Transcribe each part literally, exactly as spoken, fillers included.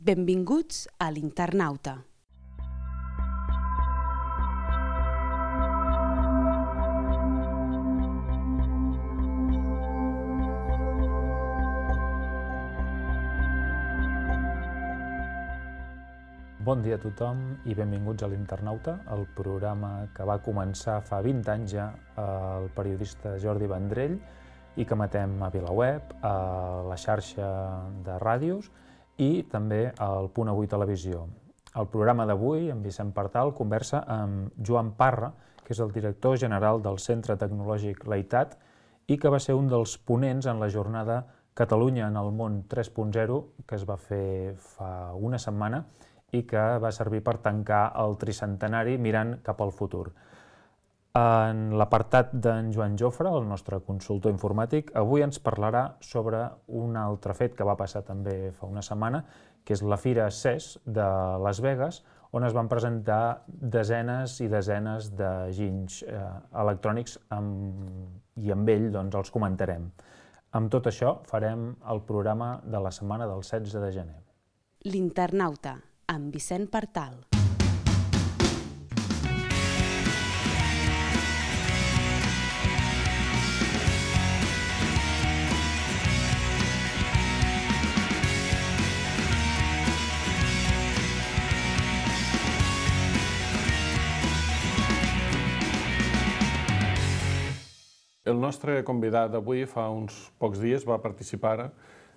Benvinguts a l'Internauta. Bon dia a tothom i benvinguts a l'Internauta, el programa que va començar fa vint anys ja el periodista Jordi Vendrell i que emetem a VilaWeb, a la xarxa de ràdios i també al Punt Avui Televisió. El programa d'avui, en Vicent Partal, conversa amb Joan Parra, que és el director general del Centre Tecnològic Leitat i que va ser un dels ponents en la jornada Catalunya en el món tres punt zero que es va fer fa una setmana i que va servir per tancar el tricentenari mirant cap al futur. En l'apartat d'en Joan Jofre, el nostre consultor informàtic, avui ens parlarà sobre un altre fet que va passar també fa una setmana, que és la Fira C E S de Las Vegas, on es van presentar desenes i desenes de ginys eh, electrònics amb, i amb ell doncs, els comentarem. Amb tot això farem el programa de la setmana del setze de gener. L'Internauta, amb Vicent Partal. El nostre convidat d'avui fa uns pocs dies va participar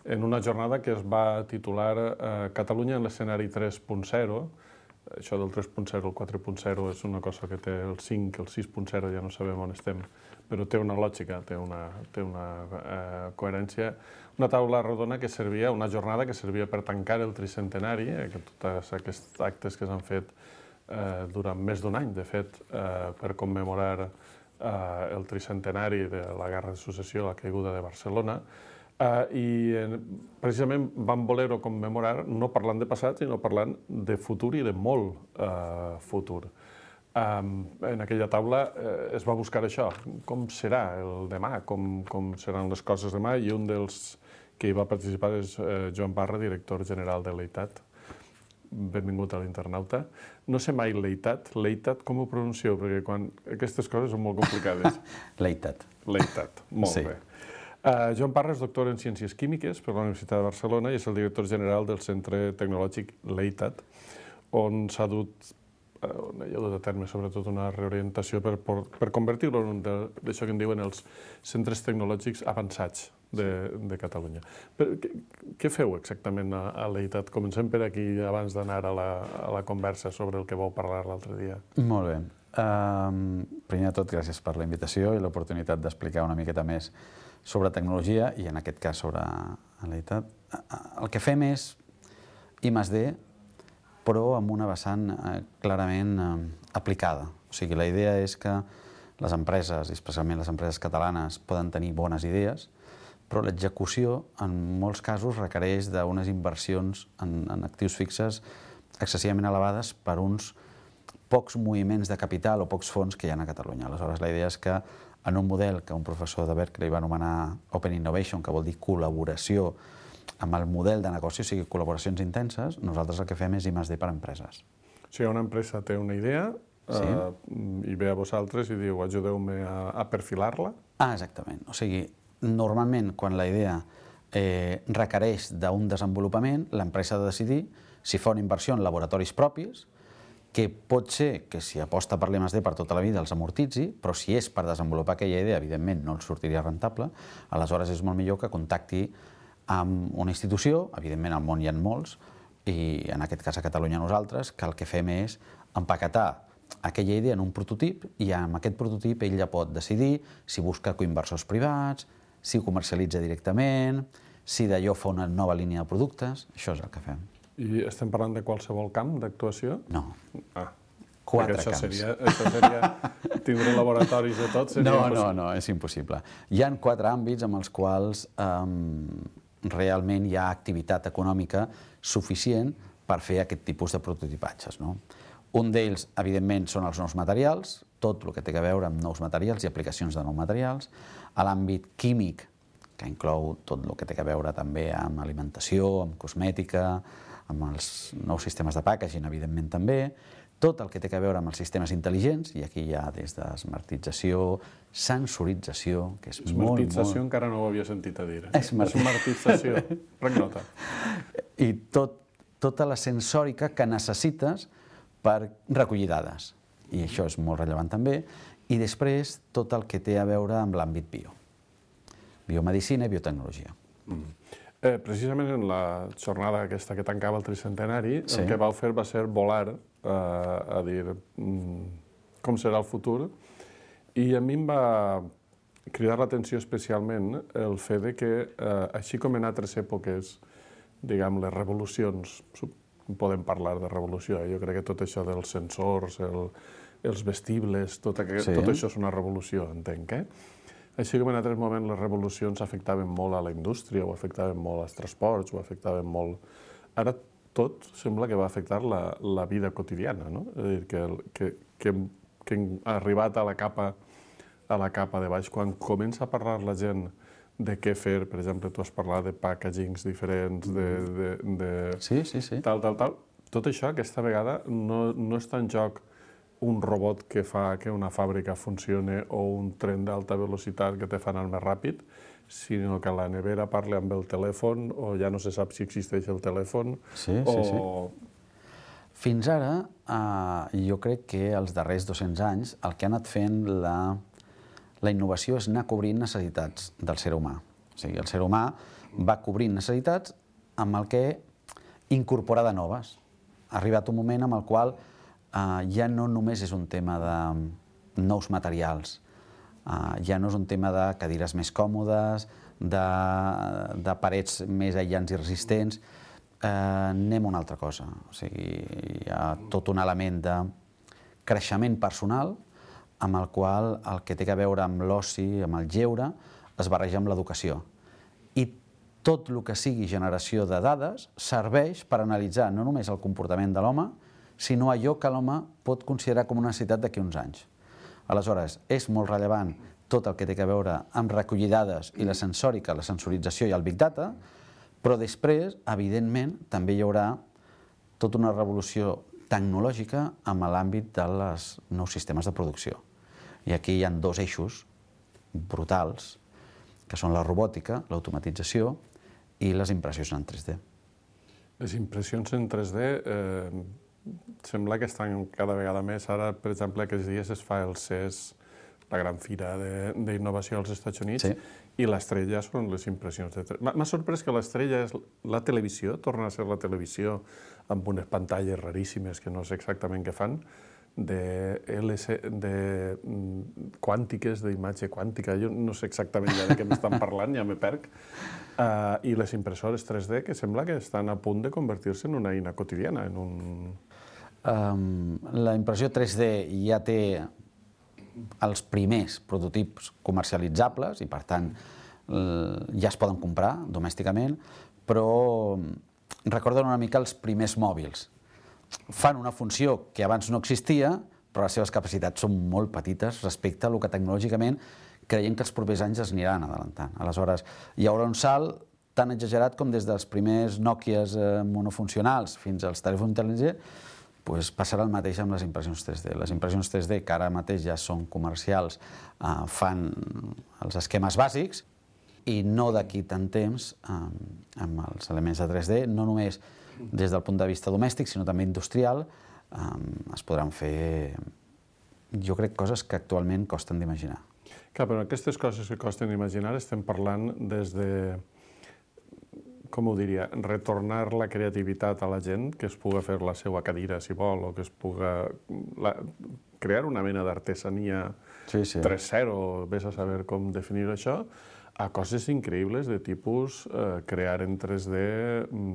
en una jornada que es va titular eh, Catalunya en l'escenari tres punt zero. Això del tres punt zero, el quatre punt zero és una cosa que té el cinc, el sis punt zero, ja no sabem on estem, però té una lògica, té una, té una eh, coherència. Una taula rodona que servia, una jornada que servia per tancar el tricentenari, eh, que tots aquests actes que s'han fet eh, durant més d'un any, de fet, eh, per commemorar eh, el tricentenari de la Guerra de Successió, la caiguda de Barcelona. Uh, i eh, precisament vam voler-ho commemorar no parlant de passat, sinó parlant de futur i de molt uh, futur. Um, en aquella taula uh, es va buscar això, com serà el demà, com, com seran les coses demà, i un dels que hi va participar és uh, Joan Parra, director general de Leitat. Benvingut a l'Internauta. No sé mai Leitat, Leitat com ho pronuncieu? Perquè quan aquestes coses són molt complicades. Leitat. Leitat, molt sí. Bé. Uh, Joan Parra és doctor en Ciències Químiques per la Universitat de Barcelona i és el director general del Centre Tecnològic Leitat, on s'ha dut, uh, on hi ha dut a terme sobretot una reorientació per, per, per convertir-lo en un d'això que en diuen els centres tecnològics avançats de, de Catalunya. Però, què, què feu exactament a, a Leitat? Comencem per aquí abans d'anar a, la, a la conversa sobre el que vau parlar l'altre dia. Molt bé. Uh, primer de tot, gràcies per la invitació i l'oportunitat d'explicar una miqueta més sobre tecnologia i, en aquest cas, sobre Leitat. El que fem és I més D, però amb una vessant eh, clarament eh, aplicada. O sigui, la idea és que les empreses, especialment les empreses catalanes, poden tenir bones idees, però l'execució, en molts casos, requereix d'unes inversions en, en actius fixes excessivament elevades per uns pocs moviments de capital o pocs fons que hi ha a Catalunya. Aleshores, la idea és que en un model que un professor de Berkeley va anomenar Open Innovation, que vol dir col·laboració amb el model de negoci, o sigui, col·laboracions intenses, nosaltres el que fem és I més D per a empreses. O sigui, una empresa té una idea sí. uh, i ve a vosaltres i diu ajudeu-me a, a perfilar-la? Ah, exactament. O sigui, normalment, quan la idea eh, requereix d'un desenvolupament, l'empresa ha de decidir si fa una inversió en laboratoris propis, que pot ser que si aposta per l'I més D per tota la vida els amortitzi, però si és per desenvolupar aquella idea, evidentment no els sortiria rentable, aleshores és molt millor que contacti amb una institució, evidentment al món hi ha molts, i en aquest cas a Catalunya nosaltres, que el que fem és empaquetar aquella idea en un prototip i amb aquest prototip ell ja pot decidir si busca coinversors privats, si ho comercialitza directament, si d'allò fa una nova línia de productes, això és el que fem. I estem parlant de qualsevol camp d'actuació? No. Ah, Quatre això camps. Seria, això seria tindre laboratoris de tot? Seria no, impossible. no, no, és impossible. Hi ha quatre àmbits amb els quals um, realment hi ha activitat econòmica suficient per fer aquest tipus de prototipatges. No? Un d'ells, evidentment, són els nous materials, tot el que té a veure amb nous materials i aplicacions de nous materials. A l'àmbit químic, que inclou tot el que té a veure també amb alimentació, amb cosmètica, amb els nous sistemes de packaging, evidentment també, tot el que té a veure amb els sistemes intel·ligents, i aquí hi ha des de smartització, sensorització, que és molt, molt... Smartització encara no ho havia sentit a dir. Smart... Smartització, prenc nota. I tot, tota la sensòrica que necessites per recollir dades. I això és molt rellevant també. I després tot el que té a veure amb l'àmbit bio. Biomedicina i biotecnologia. Mm. Eh, precisament en la jornada aquesta que tancava el tricentenari, sí. El que vau fer va ser volar eh, a dir mm, com serà el futur, i a mi em va cridar l'atenció especialment el fet de que, eh, així com en altres èpoques, diguem, les revolucions, podem parlar de revolució, eh? Jo crec que tot això dels sensors, el, els vestibles, tot, aquest, sí. Tot això és una revolució, entenc, eh? Així com en altres moments les revolucions afectaven molt a la indústria, o afectaven molt als transports, o afectaven molt... Ara tot sembla que va afectar la, la vida quotidiana, no? És a dir, que, que, que, que hem arribat a la capa, a la capa de baix. Quan comença a parlar la gent de què fer, per exemple, tu has parlat de packagings diferents, de... de, de sí, sí, sí. Tal, tal, tal. Tot això, aquesta vegada, no, no està en joc un robot que fa que una fàbrica funcioni o un tren d'alta velocitat que te fa anar més ràpid, sinó que la nevera parla amb el telèfon, o ja no se sap si existeix el telèfon. Sí, o... sí, sí. Fins ara, eh, jo crec que els darrers dos-cents anys el que ha anat fent la, la innovació és anar cobrint necessitats del ser humà. O sigui, el ser humà va cobrint necessitats amb el que incorpora de noves. Ha arribat un moment amb el qual Uh, ja no només és un tema de nous materials, uh, ja no és un tema de cadires més còmodes, de, de parets més aïllants i resistents, uh, anem a una altra cosa. O sigui, hi ha tot un element de creixement personal amb el qual el que té a veure amb l'oci, amb el lleure, es barreja amb l'educació. I tot el que sigui generació de dades serveix per analitzar no només el comportament de l'home, sinó allò que l'home pot considerar com una necessitat d'aquí uns anys. Aleshores, és molt rellevant tot el que té a veure amb recollir dades i la sensòrica, la sensorització i el Big Data, però després, evidentment, també hi haurà tota una revolució tecnològica amb l'àmbit dels nous sistemes de producció. I aquí hi ha dos eixos brutals, que són la robòtica, l'automatització i les impressions en tres D. Les impressions en tres D... Eh... Sembla que estan cada vegada més. Ara, per exemple, aquests dies es fa el C E S, la gran fira d'innovació als Estats Units, sí. I l'estrella són les impressions de tres D. M'ha sorprès que l'estrella és la televisió, torna a ser la televisió amb unes pantalles raríssimes que no sé exactament què fan, de, L C, de quàntiques, d'imatge quàntica, jo no sé exactament ja de què m'estan parlant, ja me perc, uh, i les impressores tres D que sembla que estan a punt de convertir-se en una eina quotidiana, en un... Um, la impressió tres D ja té els primers prototips comercialitzables i, per tant, ja es poden comprar domèsticament, però recorden una mica els primers mòbils. Fan una funció que abans no existia, però les seves capacitats són molt petites respecte a el que tecnològicament creiem que els propers anys es aniran adelantant. Aleshores, hi haurà un salt tan exagerat com des dels primers Nokias monofuncionals fins als telèfons intel·ligents, doncs passarà el mateix amb les impressions tres D. Les impressions tres D, que ara mateix ja són comercials, eh, fan els esquemes bàsics, i no d'aquí tant temps, eh, amb els elements de tres D, no només des del punt de vista domèstic, sinó també industrial, eh, es podran fer, jo crec, coses que actualment costen d'imaginar. Clar, però aquestes coses que costen d'imaginar estem parlant des de... com ho diria, retornar la creativitat a la gent, que es puga fer la seva cadira, si vol, o que es puga la, crear una mena d'artesania sí, sí. tres zero, vés a saber com definir això, a coses increïbles de tipus eh, crear en tres D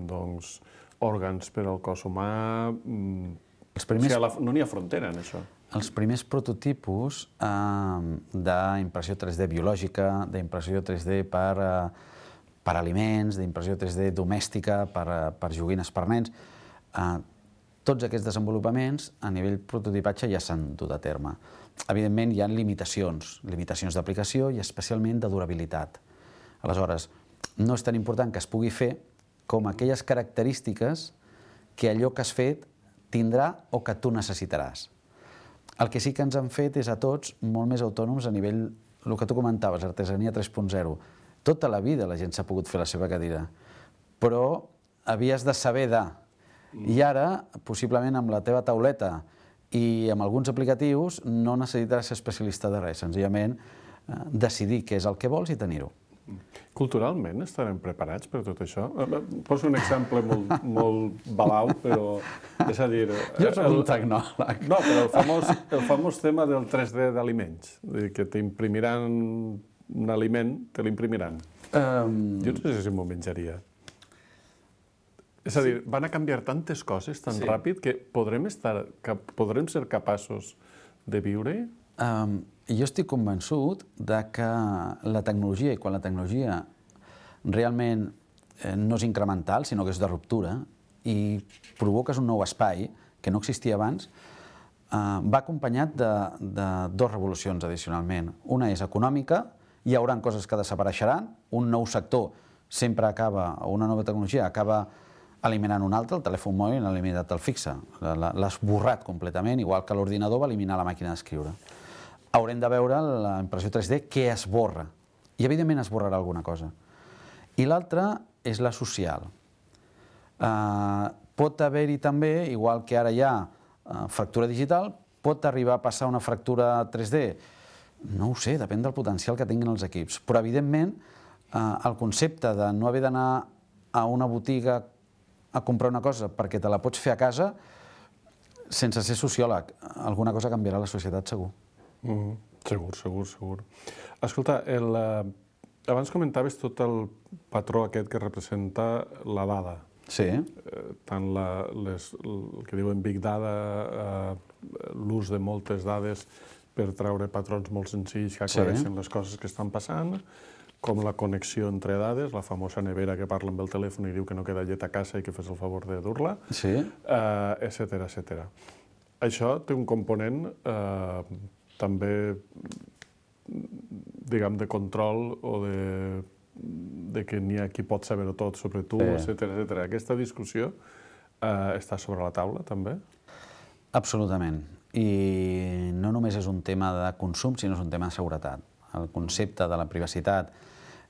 doncs, òrgans per al cos humà... Els primers... o sigui, la, no n'hi ha frontera en això. Els primers prototipus eh, d'impressió tres D biològica, d'impressió tres D per... Eh, per aliments, d'impressió tres D domèstica, per, per joguines per nens. Eh, tots aquests desenvolupaments a nivell prototipatge ja s'han dut a terme. Evidentment, hi ha limitacions, limitacions d'aplicació i especialment de durabilitat. Aleshores, no és tan important que es pugui fer com aquelles característiques que allò que has fet tindrà o que tu necessitaràs. El que sí que ens han fet és a tots molt més autònoms a nivell, el que tu comentaves, artesania tres punt zero. Tota la vida la gent s'ha pogut fer la seva cadira, però havies de saber de. I ara, possiblement amb la teva tauleta i amb alguns aplicatius, no necessitaràs ser especialista de res, senzillament decidir què és el que vols i tenir-ho. Culturalment estarem preparats per tot això? Poso un exemple molt, molt balau, però és a dir... Jo soc un tecnòleg. No, però el famós, el famós tema del tres D d'aliments, que t'imprimiran un aliment, te l'imprimiran. Um... Jo no sé si m'ho menjaria. És a dir, van a canviar tantes coses tan sí. ràpid que podrem, estar, que podrem ser capaços de viure-hi? Um, jo estic convençut de que la tecnologia, i quan la tecnologia realment eh, no és incremental, sinó que és de ruptura, i provoques un nou espai que no existia abans, eh, va acompanyat de, de dues revolucions addicionalment. Una és econòmica, hi haurà coses que desapareixeran, un nou sector sempre acaba, o una nova tecnologia acaba eliminant un altre, el telèfon mòbil l'ha eliminat el fixe, l'ha esborrat completament, igual que l'ordinador va eliminar la màquina d'escriure. Haurem de veure la impressió tres D què esborra, i evidentment esborrarà alguna cosa. I l'altra és la social. Uh, pot haver-hi també, igual que ara hi ha uh, fractura digital, pot arribar a passar una fractura tres D? No ho sé, depèn del potencial que tinguin els equips. Però, evidentment, uh, el concepte de no haver d'anar a una botiga a comprar una cosa perquè te la pots fer a casa, sense ser sociòleg, alguna cosa canviarà a la societat, segur. Mm, segur, segur, segur. Escolta, el, eh, abans comentaves tot el patró aquest que representa la dada. Sí. Eh, tant la, les, el que diuen Big Data, eh, l'ús de moltes dades per treure patrons molt senzills que aclareixen sí. les coses que estan passant, com la connexió entre dades, la famosa nevera que parla amb el telèfon i diu que no queda llet a casa i que fes el favor de dur-la, sí. eh, etcètera, etcètera. Això té un component eh, també, diguem, de control o de, de que n'hi ha qui pot saber-ho tot sobre tu, sí. etcètera, etcètera. Aquesta discussió eh, està sobre la taula, també? Absolutament. I no només és un tema de consum, sinó és un tema de seguretat. El concepte de la privacitat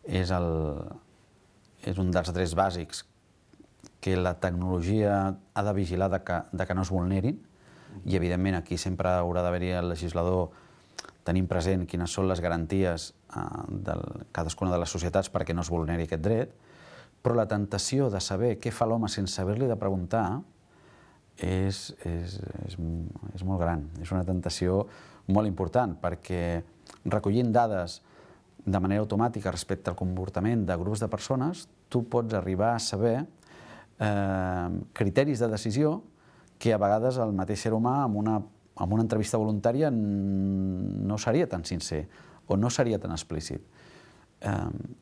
és, el, és un dels drets bàsics que la tecnologia ha de vigilar de que, de que no es vulnerin, i evidentment aquí sempre haurà d'haver-hi el legislador tenint present quines són les garanties eh, de cadascuna de les societats perquè no es vulneri aquest dret, però la tentació de saber què fa l'home sense haver-li de preguntar és, és, és, és molt gran. És una tentació molt important perquè recollint dades de manera automàtica respecte al comportament de grups de persones, tu pots arribar a saber eh, criteris de decisió que a vegades el mateix ser humà amb una, amb una entrevista voluntària no seria tan sincer o no seria tan explícit. Eh,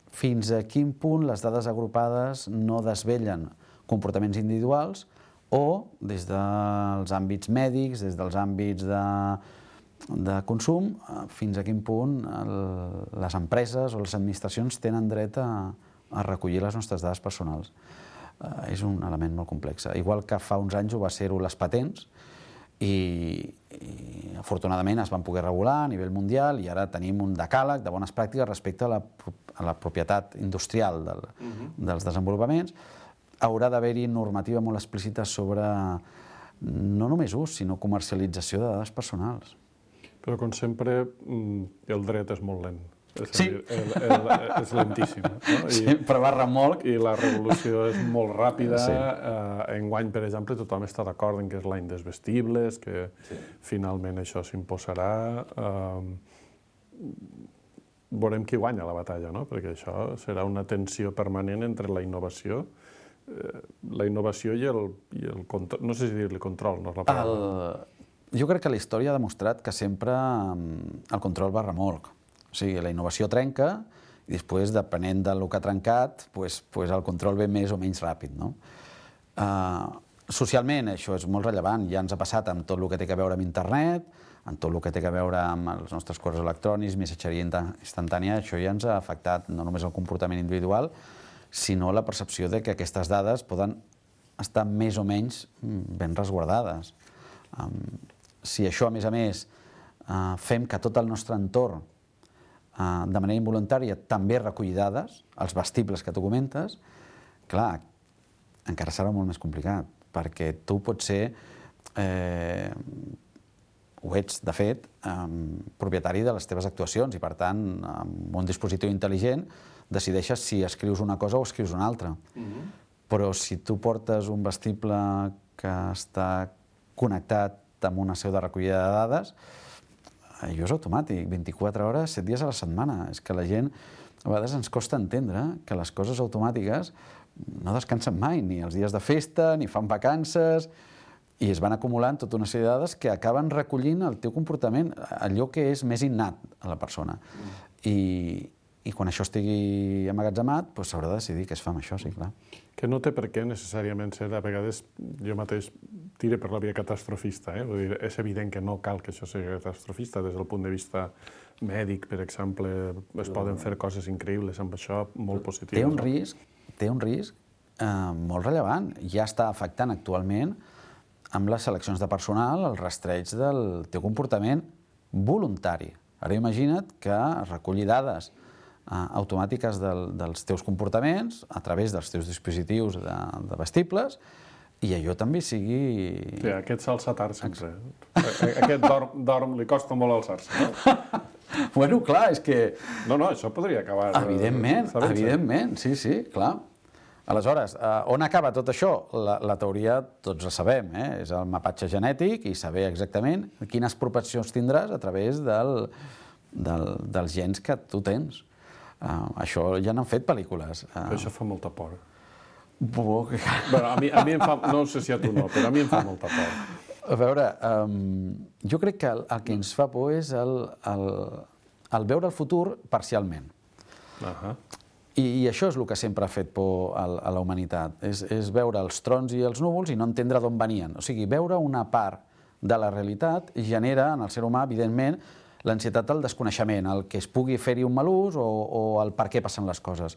fins a quin punt les dades agrupades no desvellen comportaments individuals o des dels àmbits mèdics, des dels àmbits de, de consum, fins a quin punt el, les empreses o les administracions tenen dret a, a recollir les nostres dades personals. Uh, és un element molt complex. Igual que fa uns anys ho va ser-ho les patents i, i afortunadament es van poder regular a nivell mundial i ara tenim un decàleg de bones pràctiques respecte a la, a la propietat industrial del, uh-huh. dels desenvolupaments. Haurà d'haver-hi normativa molt explícita sobre no només ús, sinó comercialització de dades personals. Però, com sempre, el dret és molt lent. És sí. Dir, el, el, és lentíssim. No? I, sí, però va remolc. I la revolució és molt ràpida. Sí. Uh, enguany, per exemple, tothom està d'acord en que és l'any dels vestibles, que sí. finalment això s'imposarà. Uh, veurem qui guanya la batalla, no? Perquè això serà una tensió permanent entre la innovació uh, la innovació i el, i el control. No sé si dir-li control, no és la paraula. El... Jo crec que la història ha demostrat que sempre el control va remolc. O sigui, la innovació trenca i després, depenent del que ha trencat, pues, pues el control ve més o menys ràpid. No? Uh, socialment això és molt rellevant. Ja ens ha passat amb tot el que té a veure amb internet, amb tot el que té a veure amb els nostres correus electrònics, missatgeria instantània. Això ja ens ha afectat no només el comportament individual, sinó la percepció de que aquestes dades poden estar més o menys ben resguardades. Si això, a més a més, fem que tot el nostre entorn, de manera involuntària, també reculli dades, els vestibles que tu comentes, clar, encara serà molt més complicat, perquè tu pots ser, eh, ho ets, de fet, eh, propietari de les teves actuacions i, per tant, amb un dispositiu intel·ligent decideixes si escrius una cosa o escrius una altra. Mm-hmm. Però si tu portes un vestible que està connectat amb una seu de recollida de dades, allò és automàtic, vint-i-quatre hores, set dies a la setmana. És que la gent, a vegades ens costa entendre que les coses automàtiques no descansen mai, ni els dies de festa, ni fan vacances, i es van acumulant tota una sèrie de dades que acaben recollint el teu comportament, allò que és més innat a la persona. I, i quan això estigui emmagatzemat, doncs s'haurà de decidir què es fa amb això, sí, clar. Que no té per què necessàriament ser, a vegades jo mateix tire per la via catastrofista, eh? Vull dir, és evident que no cal que això sigui catastrofista des del punt de vista mèdic, per exemple, es poden fer coses increïbles amb això, molt positives. Té un risc, té un risc eh, molt rellevant. Ja està afectant actualment amb les seleccions de personal el rastreig del teu comportament voluntari. Ara imagina't que recollir dades eh, automàtiques del, dels teus comportaments a través dels teus dispositius de, de vestibles i allò també sigui... Sí, aquest s'alça tard sempre. Aquest dorm, dorm, li costa molt alçar-se, no? Bueno, clar, és que... No, no, això podria acabar... Evidentment, evidentment, sí, sí, clar. Aleshores, on acaba tot això? La, la teoria tots la sabem, eh? És el mapatge genètic i saber exactament quines propensions tindràs a través del, del, dels gens que tu tens. Uh, això ja n'han fet pel·lícules. Uh, però això fa molta por. Bo... Bueno, a mi, a mi em fa... No sé si a tu no, però a mi em fa molta por. A veure, um, jo crec que el, el que ens fa por és el, el, el veure el futur parcialment. Uh-huh. I, I això és el que sempre ha fet por a, a la humanitat, és, és veure els trons i els núvols i no entendre d'on venien. O sigui, veure una part de la realitat genera en el ser humà, evidentment, l'ansietat del desconeixement, el que es pugui fer-hi un mal ús o, o el per què passen les coses.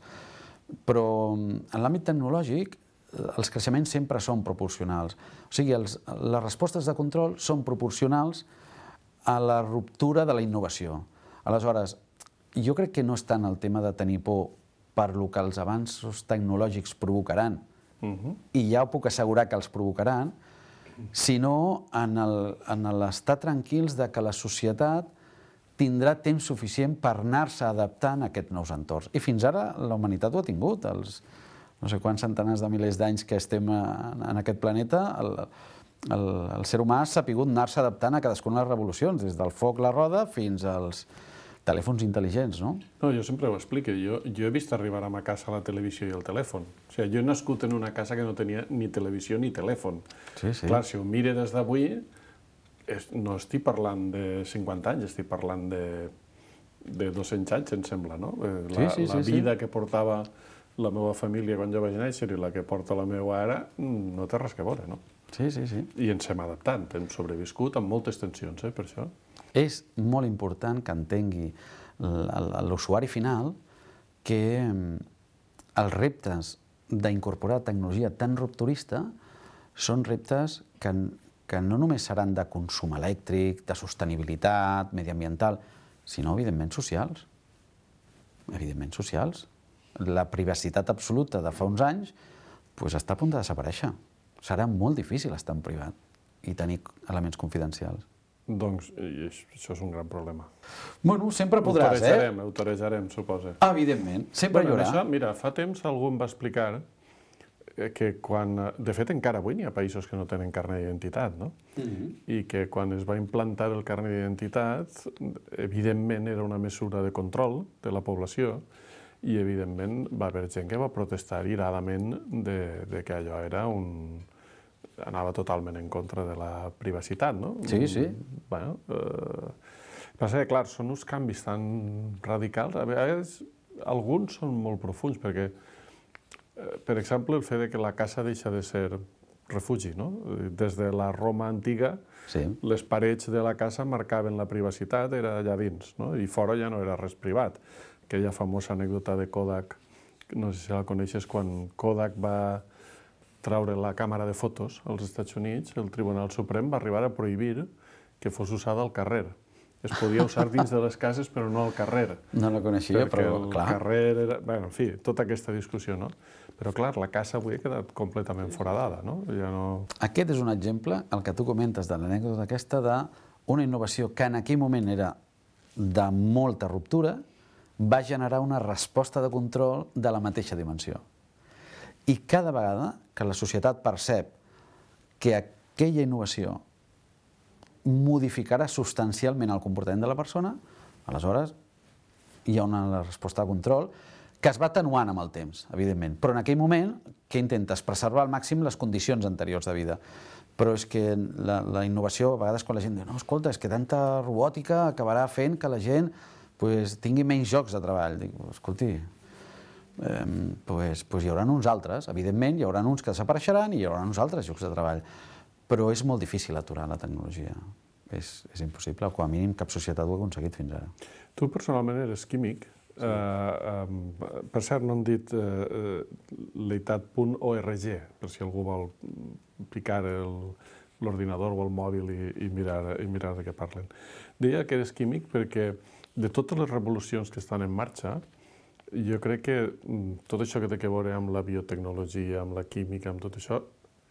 Però en l'àmbit tecnològic els creixements sempre són proporcionals. O sigui, els, les respostes de control són proporcionals a la ruptura de la innovació. Aleshores, jo crec que no és tant el tema de tenir por per lo que els avanços tecnològics provocaran, uh-huh. i ja ho puc assegurar que els provocaran, sinó en l'estar tranquils de que la societat tindrà temps suficient per anar-se adaptant a aquests nous entorns. I fins ara la humanitat ho ha tingut. Els no sé quants centenars de milers d'anys que estem en aquest planeta, el, el, el ser humà ha sapigut anar-se adaptant a cadascuna de les revolucions, des del foc, la roda, fins als telèfons intel·ligents, no? No, jo sempre ho explico. Jo, jo he vist arribar a ma casa la televisió i el telèfon. O sigui, jo he nascut en una casa que no tenia ni televisió ni telèfon. Sí, sí. Clar, si ho mire des d'avui, no estic parlant de cinquanta anys, estic parlant de, de dos-cents anys, em sembla, no? La, sí, sí, la sí, vida sí. que portava la meva família quan jo vaig néixer i la que porta la meva ara no té res que veure, no? Sí, sí, sí. I ens hem adaptant, hem sobreviscut amb moltes tensions, eh, per això. És molt important que entengui l'usuari final que els reptes d'incorporar tecnologia tan rupturista són reptes que, que no només seran de consum elèctric, de sostenibilitat, mediambiental, sinó, evidentment, socials. Evidentment, socials. La privacitat absoluta de fa uns anys doncs, està a punt de desaparèixer. Serà molt difícil estar en privat i tenir elements confidencials. Doncs això és un gran problema. Bueno, sempre podràs, eh? Ho torejarem, ho torejarem, suposa. Evidentment, sempre bueno, hi haurà. Això, mira, fa temps algú em va explicar que quan... De fet, encara avui n'hi ha països que no tenen carnet d'identitat, no? Mm-hmm. I que quan es va implantar el carnet d'identitat, evidentment era una mesura de control de la població i, evidentment, va haver gent que va protestar iradament de, de que allò era un... anava totalment en contra de la privacitat, no? Sí, sí. Bueno, eh... passa que, clar, són uns canvis tan radicals. A vegades, alguns són molt profuns, perquè, eh, per exemple, el fet de que la casa deixa de ser refugi, no? Des de la Roma antiga, sí. Les parets de la casa marcaven la privacitat, era allà dins, no? I fora ja no era res privat. Aquella famosa anècdota de Kodak, no sé si la coneixes, quan Kodak va traure la càmera de fotos als Estats Units, el Tribunal Suprem va arribar a prohibir que fos usada al carrer. Es podia usar dins de les cases, però no al carrer. No la coneixia, però el clar. carrer era... Bé, en fi, tota aquesta discussió, no? Però, clar, la casa avui ha quedat completament foradada, no? Ja no... Aquest és un exemple, el que tu comentes de l'anècdota aquesta, d'una innovació que en aquell moment era de molta ruptura, va generar una resposta de control de la mateixa dimensió. I cada vegada que la societat percep que aquella innovació modificarà substancialment el comportament de la persona, aleshores hi ha una resposta de control que es va atenuant amb el temps, evidentment. Però en aquell moment, què intentes? Preservar al màxim les condicions anteriors de vida. Però és que la, la innovació, a vegades quan la gent diu no, escolta, és que tanta robòtica acabarà fent que la gent pues, tingui menys jocs de treball. Dic, escolti, eh, pues, pues hi haurà uns altres, evidentment, hi haurà uns que desapareixeran i hi haurà uns altres jocs de treball. Però és molt difícil aturar la tecnologia. És, és impossible, o com a mínim cap societat ho ha aconseguit fins ara. Tu personalment eres químic. Sí. Uh, um, per cert, no hem dit uh, uh, leitat punt org, per si algú vol picar l'ordinador o el mòbil i, i, mirar, i mirar de què parlen. Deia que eres químic perquè de totes les revolucions que estan en marxa, jo crec que tot això que té a veure amb la biotecnologia, amb la química, amb tot això,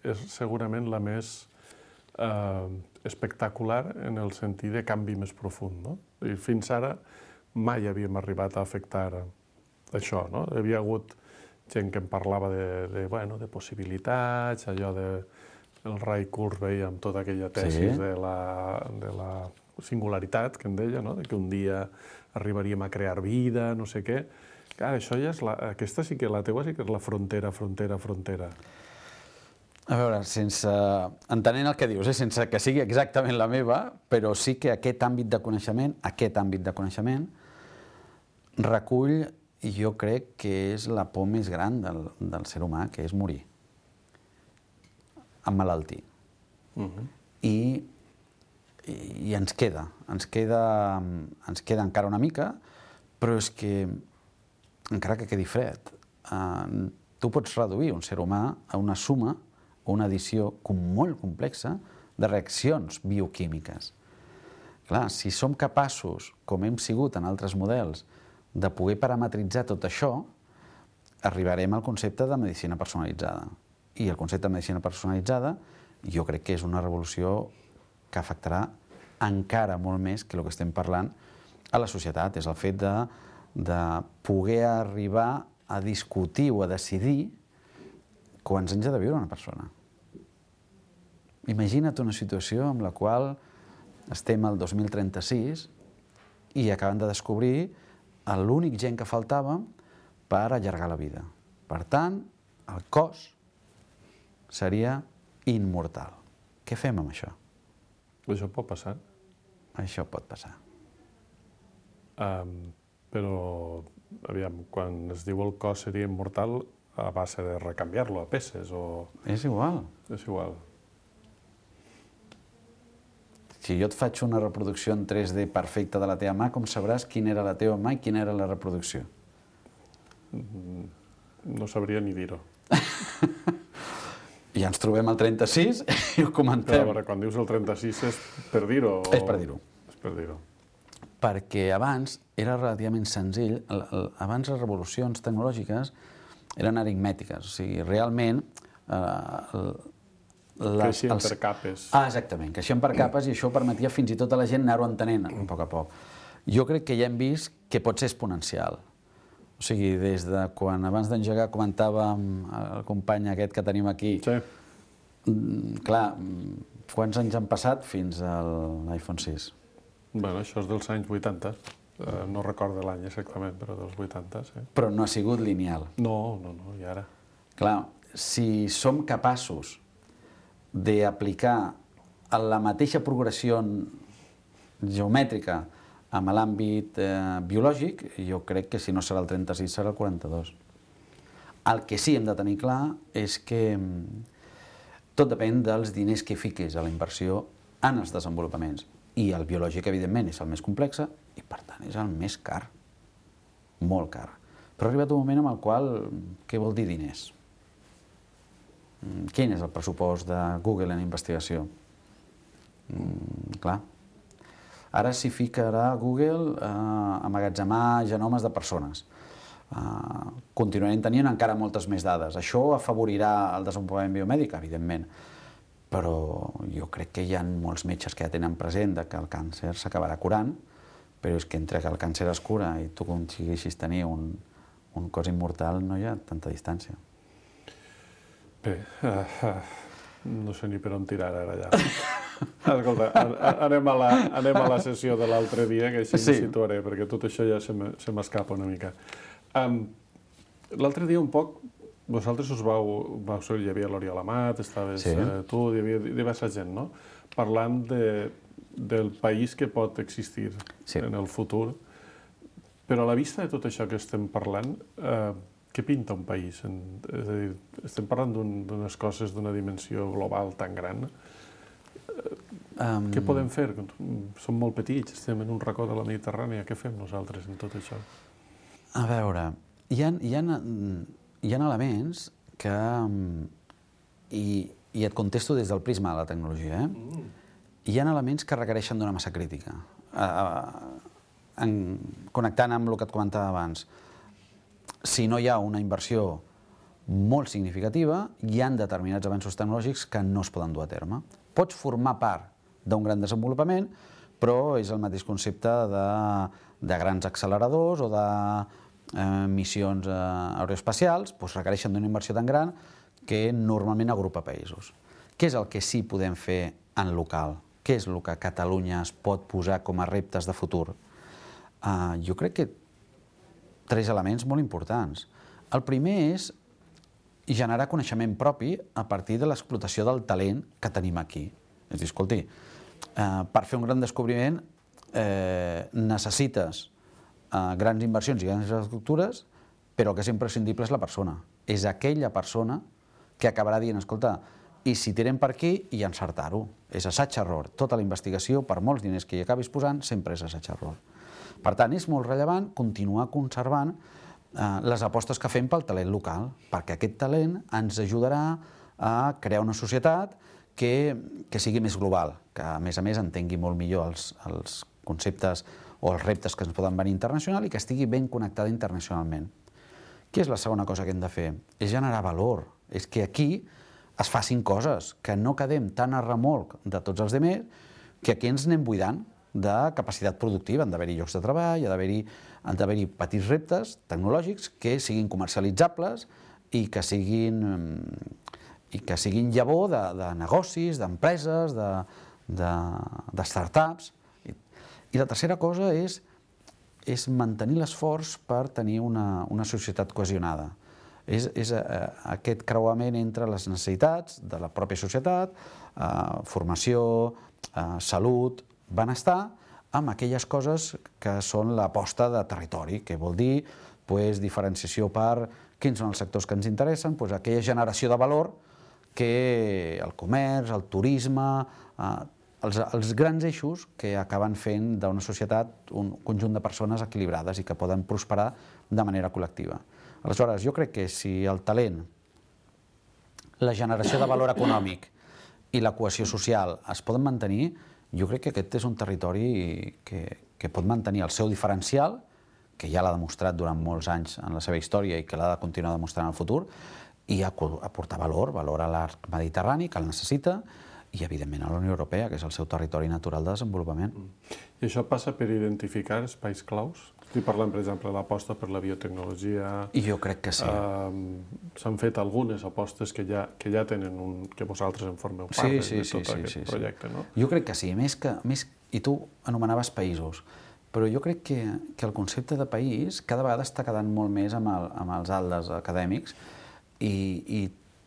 és segurament la més eh, espectacular en el sentit de canvi més profund, no? I fins ara mai havíem arribat a afectar això, no? Hi havia hagut gent que em parlava de, de, bueno, de possibilitats, allò de el Ray Kurzweil amb tota aquella tesis sí. de, la, de la singularitat, que en deia, no? De que un dia arribaríem a crear vida, no sé què. Clar, això ja és la, aquesta sí que la teua sí que és la frontera, frontera, frontera. A veure, sense, entenent el que dius, eh? Sense que sigui exactament la meva, però sí que aquest àmbit de coneixement, aquest àmbit de coneixement, recull, jo crec que és la por més gran del, del ser humà, que és morir, emmalaltir. Uh-huh. I, i, I ens queda, ens queda, ens queda encara una mica, però és que, encara que quedi fred, eh, tu pots reduir un ser humà a una suma o una addició molt complexa de reaccions bioquímiques. Clar, si som capaços, com hem sigut en altres models, de poder parametritzar tot això, arribarem al concepte de medicina personalitzada. I el concepte de medicina personalitzada jo crec que és una revolució que afectarà encara molt més que el que estem parlant a la societat. És el fet de, de poder arribar a discutir o a decidir quants anys ha de viure una persona. Imagina't una situació en la qual estem al dos mil trenta-sis i acaben de descobrir l'únic gen que faltava per allargar la vida. Per tant, el cos seria immortal. Què fem amb això? Això pot passar. Això pot passar. Um, però, aviam, quan es diu el cos seria immortal, a base de recanviar-lo a peces o... És igual. És igual. Si jo et faig una reproducció en tres D perfecta de la teva mà, com sabràs quina era la teva mà i quina era la reproducció? No sabria ni dir-ho. I ens trobem al trenta-sis i ho comentem. Però, a veure, quan dius el trenta-sis és per dir-ho? O... És per dir-ho. És per dir-ho. Perquè abans era relativament senzill. Abans les revolucions tecnològiques eren aritmètiques. O sigui, realment... Eh, Les, creixien els... per capes. Ah, exactament, creixien per capes i això permetia fins i tot a la gent anar-ho entenent a poc a poc. Jo crec que ja hem vist que pot ser exponencial. O sigui, des de quan abans d'engegar comentàvem el company aquest que tenim aquí. Sí. Clar, quants anys han passat fins a l'iPhone sis? Bueno, això és dels anys vuitanta. Uh, no recordo l'any exactament, però dels vuitanta, sí. Però no ha sigut lineal. No, no, no, i ara? Clar, si som capaços d'aplicar la mateixa progressió geomètrica amb l'àmbit eh, biològic, jo crec que si no serà el trenta-sis serà el quaranta-dos. El que sí hem de tenir clar és que tot depèn dels diners que fiquis a la inversió en els desenvolupaments. I el biològic, evidentment, és el més complex i, per tant, és el més car. Molt car. Però ha arribat un moment en el qual, què vol dir diners? Quin és el pressupost de Google en investigació? Mm, clar. Ara s'hi ficarà Google a eh, emmagatzemar genomes de persones. Uh, continuarem tenint encara moltes més dades. Això afavorirà el desenvolupament biomèdic, evidentment, però jo crec que hi ha molts metges que ja tenen present que el càncer s'acabarà curant, però és que entre que el càncer es cura i tu aconsegueixis tenir un, un cos immortal no hi ha tanta distància. Bé, uh, uh, no sé ni per on tirar ara allà. Escolta, anem a, la, anem a la sessió de l'altre dia, que així sí. Em situaré, perquè tot això ja se m'escapa una mica. Um, L'altre dia un poc, vosaltres us vau, vau ser, hi havia l'Oriol Amat, estaves sí. eh, tu, hi havia diversa gent, no? Parlant de, del país que pot existir sí. en el futur. Però a la vista de tot això que estem parlant, eh, què pinta un país? En, és a dir, estem parlant d'unes un, coses d'una dimensió global tan gran. Um... Què podem fer? Som molt petits, estem en un racó de la Mediterrània, què fem nosaltres en tot això? A veure, hi ha, hi ha, hi ha elements que... I, i et contesto des del prisma de la tecnologia, eh? Mm. Hi ha elements que requereixen d'una massa crítica. Uh, en, connectant amb el que et comentava abans, si no hi ha una inversió molt significativa, hi ha determinats avanços tecnològics que no es poden dur a terme. Pots formar part d'un gran desenvolupament, però és el mateix concepte de, de grans acceleradors o de eh, missions eh, aeroespacials, doncs requereixen d'una inversió tan gran que normalment agrupa països. Què és el que sí podem fer en local? Què és el que Catalunya es pot posar com a reptes de futur? Uh, jo crec que tres elements molt importants. El primer és generar coneixement propi a partir de l'explotació del talent que tenim aquí. És a dir, escolti, eh, per fer un gran descobriment eh, necessites eh, grans inversions i grans infraestructures, però el que és imprescindible és la persona. És aquella persona que acabarà dient, escolta, i si tirem per aquí, i encertar-ho. És assaig-error. Tota la investigació, per molts diners que hi acabis posant, sempre és assaig-error. Per tant, és molt rellevant continuar conservant eh, les apostes que fem pel talent local, perquè aquest talent ens ajudarà a crear una societat que, que sigui més global, que a més a més entengui molt millor els, els conceptes o els reptes que ens poden venir internacional i que estigui ben connectada internacionalment. Què és la segona cosa que hem de fer? És generar valor. És que aquí es facin coses, que no quedem tan a remolc de tots els altres, que aquí ens anem buidant de capacitat productiva. Han d'haver-hi llocs de treball, han d'haver-hi petits reptes tecnològics que siguin comercialitzables i que siguin, i que siguin llavor de, de negocis, d'empreses, de, de, de startups. I, I la tercera cosa és, és mantenir l'esforç per tenir una, una societat cohesionada. És, és eh, aquest creuament entre les necessitats de la pròpia societat, eh, formació, eh, salut, benestar, amb aquelles coses que són l'aposta de territori, que vol dir pues, diferenciació per quins són els sectors que ens interessen, pues, aquella generació de valor que el comerç, el turisme, eh, els, els grans eixos que acaben fent d'una societat un conjunt de persones equilibrades i que poden prosperar de manera col·lectiva. Aleshores, jo crec que si el talent, la generació de valor econòmic i la cohesió social es poden mantenir, jo crec que aquest és un territori que, que pot mantenir el seu diferencial, que ja l'ha demostrat durant molts anys en la seva història i que l'ha de continuar demostrant en el futur, i aportar valor, valor a l'arc mediterrani, que el necessita, i, evidentment, a la Unió Europea, que és el seu territori natural de desenvolupament. I això passa per identificar espais claus? Estic parlant, per exemple, de l'aposta per la biotecnologia... I jo crec que sí. Uh, S'han fet algunes apostes que ja, que ja tenen un... que vosaltres en formeu part sí, sí, de tot sí, aquest sí, sí, projecte, sí. no? Jo crec que sí. Més que, més, I tu anomenaves països, però jo crec que, que el concepte de país cada vegada està quedant molt més amb, el, amb els aldes acadèmics i, i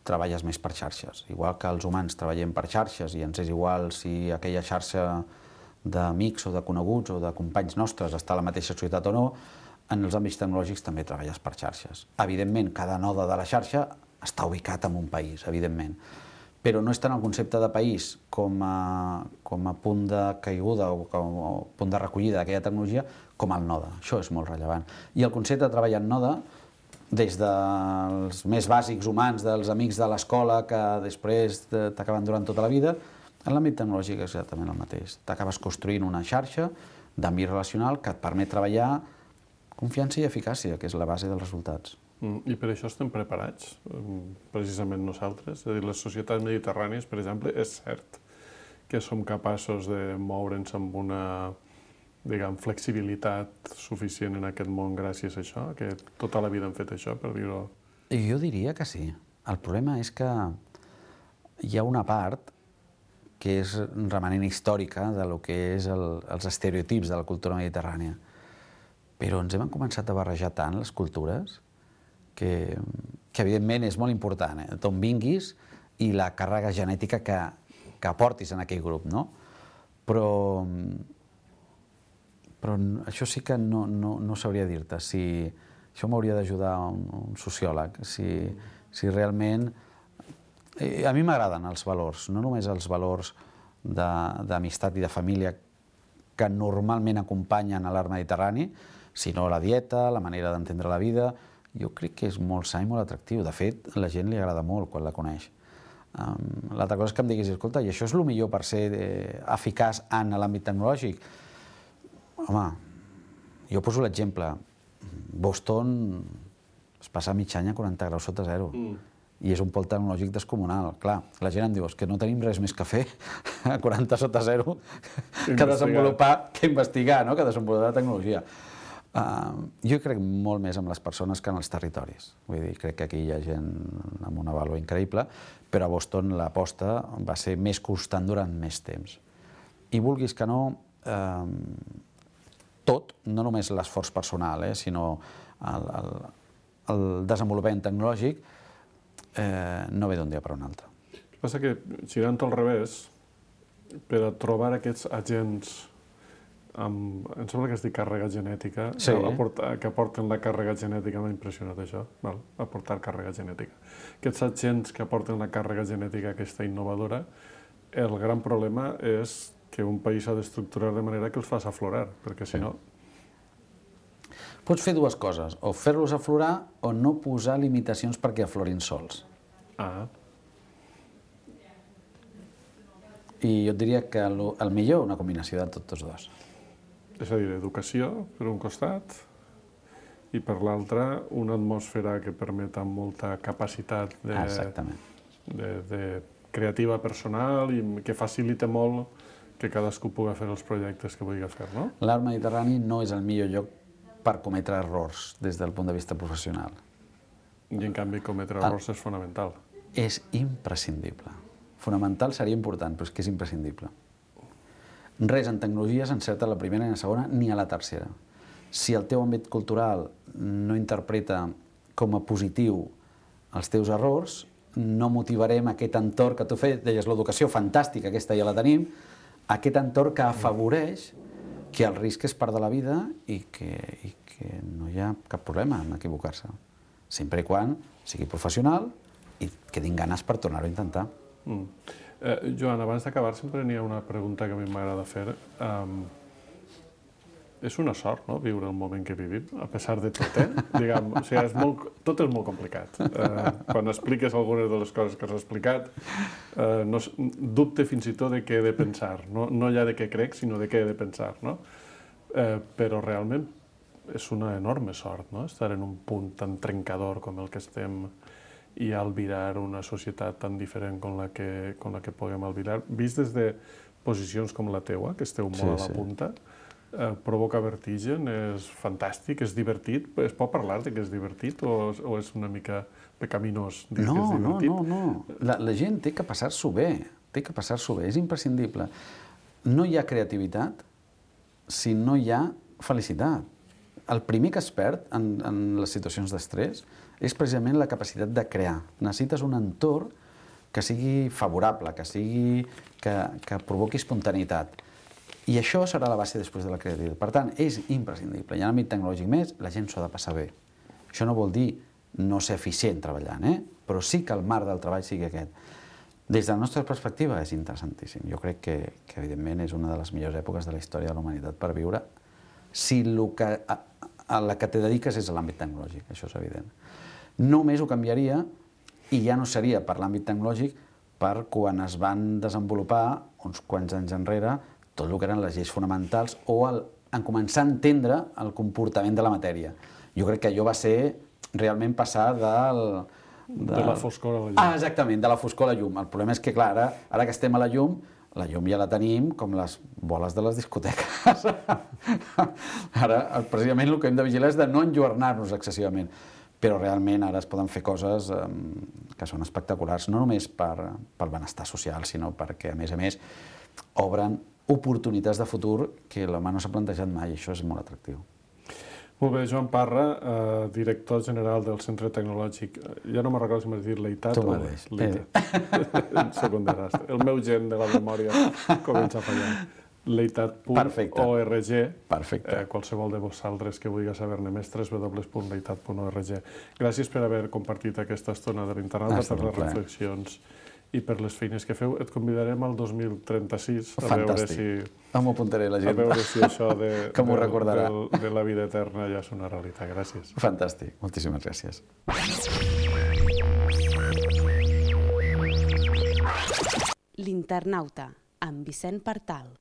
treballes més per xarxes. Igual que els humans treballem per xarxes i ens és igual si aquella xarxa d'amics o de coneguts o de companys nostres està a la mateixa societat o no, en els àmbits tecnològics també treballes per xarxes. Evidentment, cada node de la xarxa està ubicat en un país, evidentment, però no és tant el concepte de país com a, com a punt de caiguda o com a punt de recollida d'aquella tecnologia com el node. Això és molt rellevant. I el concepte de treball en node des dels més bàsics humans, dels amics de l'escola que després t'acaben durant tota la vida, en l'àmbit tecnològic és exactament el mateix. T'acabes construint una xarxa d'àmbit relacional que et permet treballar confiança i eficàcia, que és la base dels resultats. I per això estem preparats, precisament nosaltres. És a dir, les societats mediterrànies, per exemple, és cert que som capaços de moure'ns amb una, diguem, flexibilitat suficient en aquest món gràcies a això, que tota la vida hem fet això, per dir-ho. Jo diria que sí. El problema és que hi ha una part que és remanent històrica de lo que és el, els estereotips de la cultura mediterrània. Però ens hem començat a barrejar tant les cultures que, que evidentment és molt important, eh? d'on vinguis i la càrrega genètica que, que aportis en aquell grup, no? Però, però això sí que no, no, no sabria dir-te. Si, això m'hauria d'ajudar un, un sociòleg. Si, si realment... A mi m'agraden els valors, no només els valors d'amistat i de família que normalment acompanyen a l'art mediterrani, sinó la dieta, la manera d'entendre la vida. Jo crec que és molt sa i molt atractiu. De fet, a la gent li agrada molt quan la coneix. Um, L'altra cosa és que em diguis, escolta, i això és el millor per ser eh, eficaç en l'àmbit tecnològic? Home, jo poso l'exemple. Boston es passa mig any a quaranta graus sota zero. Mm. I és un pol tecnològic descomunal. Clar, la gent em diu que no tenim res més que fer a quaranta sota zero que desenvolupar, que investigar, no? Que desenvolupar la tecnologia. Uh, jo crec molt més en les persones que en els territoris. Vull dir, crec que aquí hi ha gent amb una vàlua increïble, però a Boston l'aposta va ser més constant durant més temps. I vulguis que no, uh, tot, no només l'esforç personal, eh, sinó el, el, el desenvolupament tecnològic, eh, no ve d'un dia per un altre. El que passa que, girant al revés, per a trobar aquests agents amb, em sembla que es diu càrrega genètica, sí. aportar, que aporten la càrrega genètica, m'ha impressionat això, val? Aportar càrrega genètica. Aquests agents que aporten la càrrega genètica aquesta innovadora, el gran problema és que un país s'ha d'estructurar de manera que els faci aflorar, perquè si no... Pots fer dues coses, o fer-los aflorar o no posar limitacions perquè aflorin sols. Ah. I jo et diria que el, el millor una combinació de tots dos. És a dir, educació, per un costat, i per l'altre, una atmosfera que permet amb molta capacitat de, de, de creativa personal i que facilita molt que cadascú pugui fer els projectes que vulgui fer, no? L'art mediterrani no és el millor lloc per cometre errors des del punt de vista professional. I en canvi cometre errors és fonamental. És imprescindible. Fonamental seria important, però és que és imprescindible. Res en tecnologia s'encerta a la primera ni a la segona ni a la tercera. Si el teu àmbit cultural no interpreta com a positiu els teus errors, no motivarem aquest entorn que tu feies, deies l'educació fantàstica, aquesta ja la tenim, aquest entorn que afavoreix que el risc és part de la vida i que, i que no hi ha cap problema en equivocar-se. Sempre i quan sigui professional i que tinguin ganes per tornar-ho a intentar. Mm. Eh, Joan, abans d'acabar sempre n'hi ha una pregunta que a mi m'agrada fer. Um, és una sort, no?, viure el moment que vivim, a pesar de tot, eh? Diguem, o sigui, és molt, tot és molt complicat. Eh, quan expliques algunes de les coses que has explicat, eh, no, dubte fins i tot de què he de pensar. No, no ja de què crec, sinó de què he de pensar, no? Eh, però realment és una enorme sort, no?, estar en un punt tan trencador com el que estem i albirar una societat tan diferent com la que, com la que puguem albirar. Vist des de posicions com la teua, que esteu molt sí, a la sí. punta, eh, provoca vertigen, és fantàstic, és divertit. Es pot parlar de que és divertit o, o és una mica pecaminós dir no, que és divertit? No, no, no. La, la gent té que passar-s'ho bé, té que passar-s'ho bé, és imprescindible. No hi ha creativitat si no hi ha felicitat. El primer que es perd en, en les situacions d'estrès és precisament la capacitat de crear. Necessites un entorn que sigui favorable, que sigui que, que provoqui espontaneïtat. I això serà la base després de la creativitat. Per tant, és imprescindible. I en l'àmbit tecnològic més, la gent s'ho ha de passar bé. Això no vol dir no ser eficient treballant, eh? Però sí que el marc del treball sigui aquest. Des de la nostra perspectiva és interessantíssim. Jo crec que, que evidentment, és una de les millors èpoques de la història de la humanitat per viure. Si el que a la que te dediques és a l'àmbit tecnològic, això és evident. Només ho canviaria, i ja no seria per l'àmbit tecnològic, per quan es van desenvolupar, uns quants anys enrere, tot el que eren les lleis fonamentals o el, en començar a entendre el comportament de la matèria. Jo crec que allò va ser realment passar del... De, de la foscor a la llum. Ah, exactament, de la foscor a la llum. El problema és que, clar, ara, ara que estem a la llum, la llum ja la tenim com les boles de les discoteques. Ara, precisament, el que hem de vigilar és de no enlluernar-nos excessivament. Però realment ara es poden fer coses eh, que són espectaculars, no només per, pel benestar social, sinó perquè, a més a més, obren oportunitats de futur que l'home no s'ha plantejat mai, i això és molt atractiu. Molt bé, Joan Parra, eh, director general del Centre Tecnològic. Ja no me'n recordo si m'has dit l'Eitat o l'Eitat. Secundarast. El meu gent de la memòria comença a fallar. Leitat punt org. Perfecte. Eh, qualsevol de vosaltres que vulgui saber-ne més, w w w punt leitat punt org. Gràcies per haver compartit aquesta estona de l'internauta, per les reflexions i per les feines que feu. Et convidarem al dos mil trenta-sis a veure si... M'ho apuntaré la gent. A veure si això de, que m'ho recordarà. De, de la vida eterna ja és una realitat. Gràcies. Fantàstic. Moltíssimes gràcies. L'Internauta, amb Vicent Partal.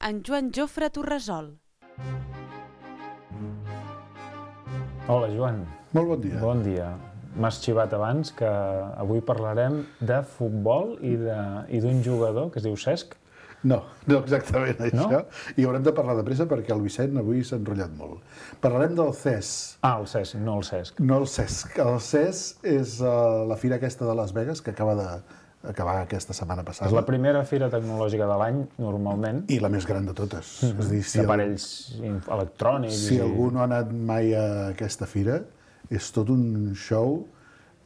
En Joan Jofre Torresol. Hola, Joan. Molt bon dia. Bon dia. M'has xivat abans que avui parlarem de futbol i d'un jugador que es diu Cesc. No, no exactament això. No? I haurem de parlar de pressa perquè el Vicent avui s'ha enrotllat molt. Parlarem del C E S. Ah, el Cesc, no el Cesc. No el Cesc. El C E S és uh, la fira aquesta de Las Vegas que acaba de acabar aquesta setmana passada. És la primera fira tecnològica de l'any, normalment. I la més gran de totes. Mm-hmm. És a dir, si d'aparells el... electrònics. Si i... algú no ha anat mai a aquesta fira, és tot un show,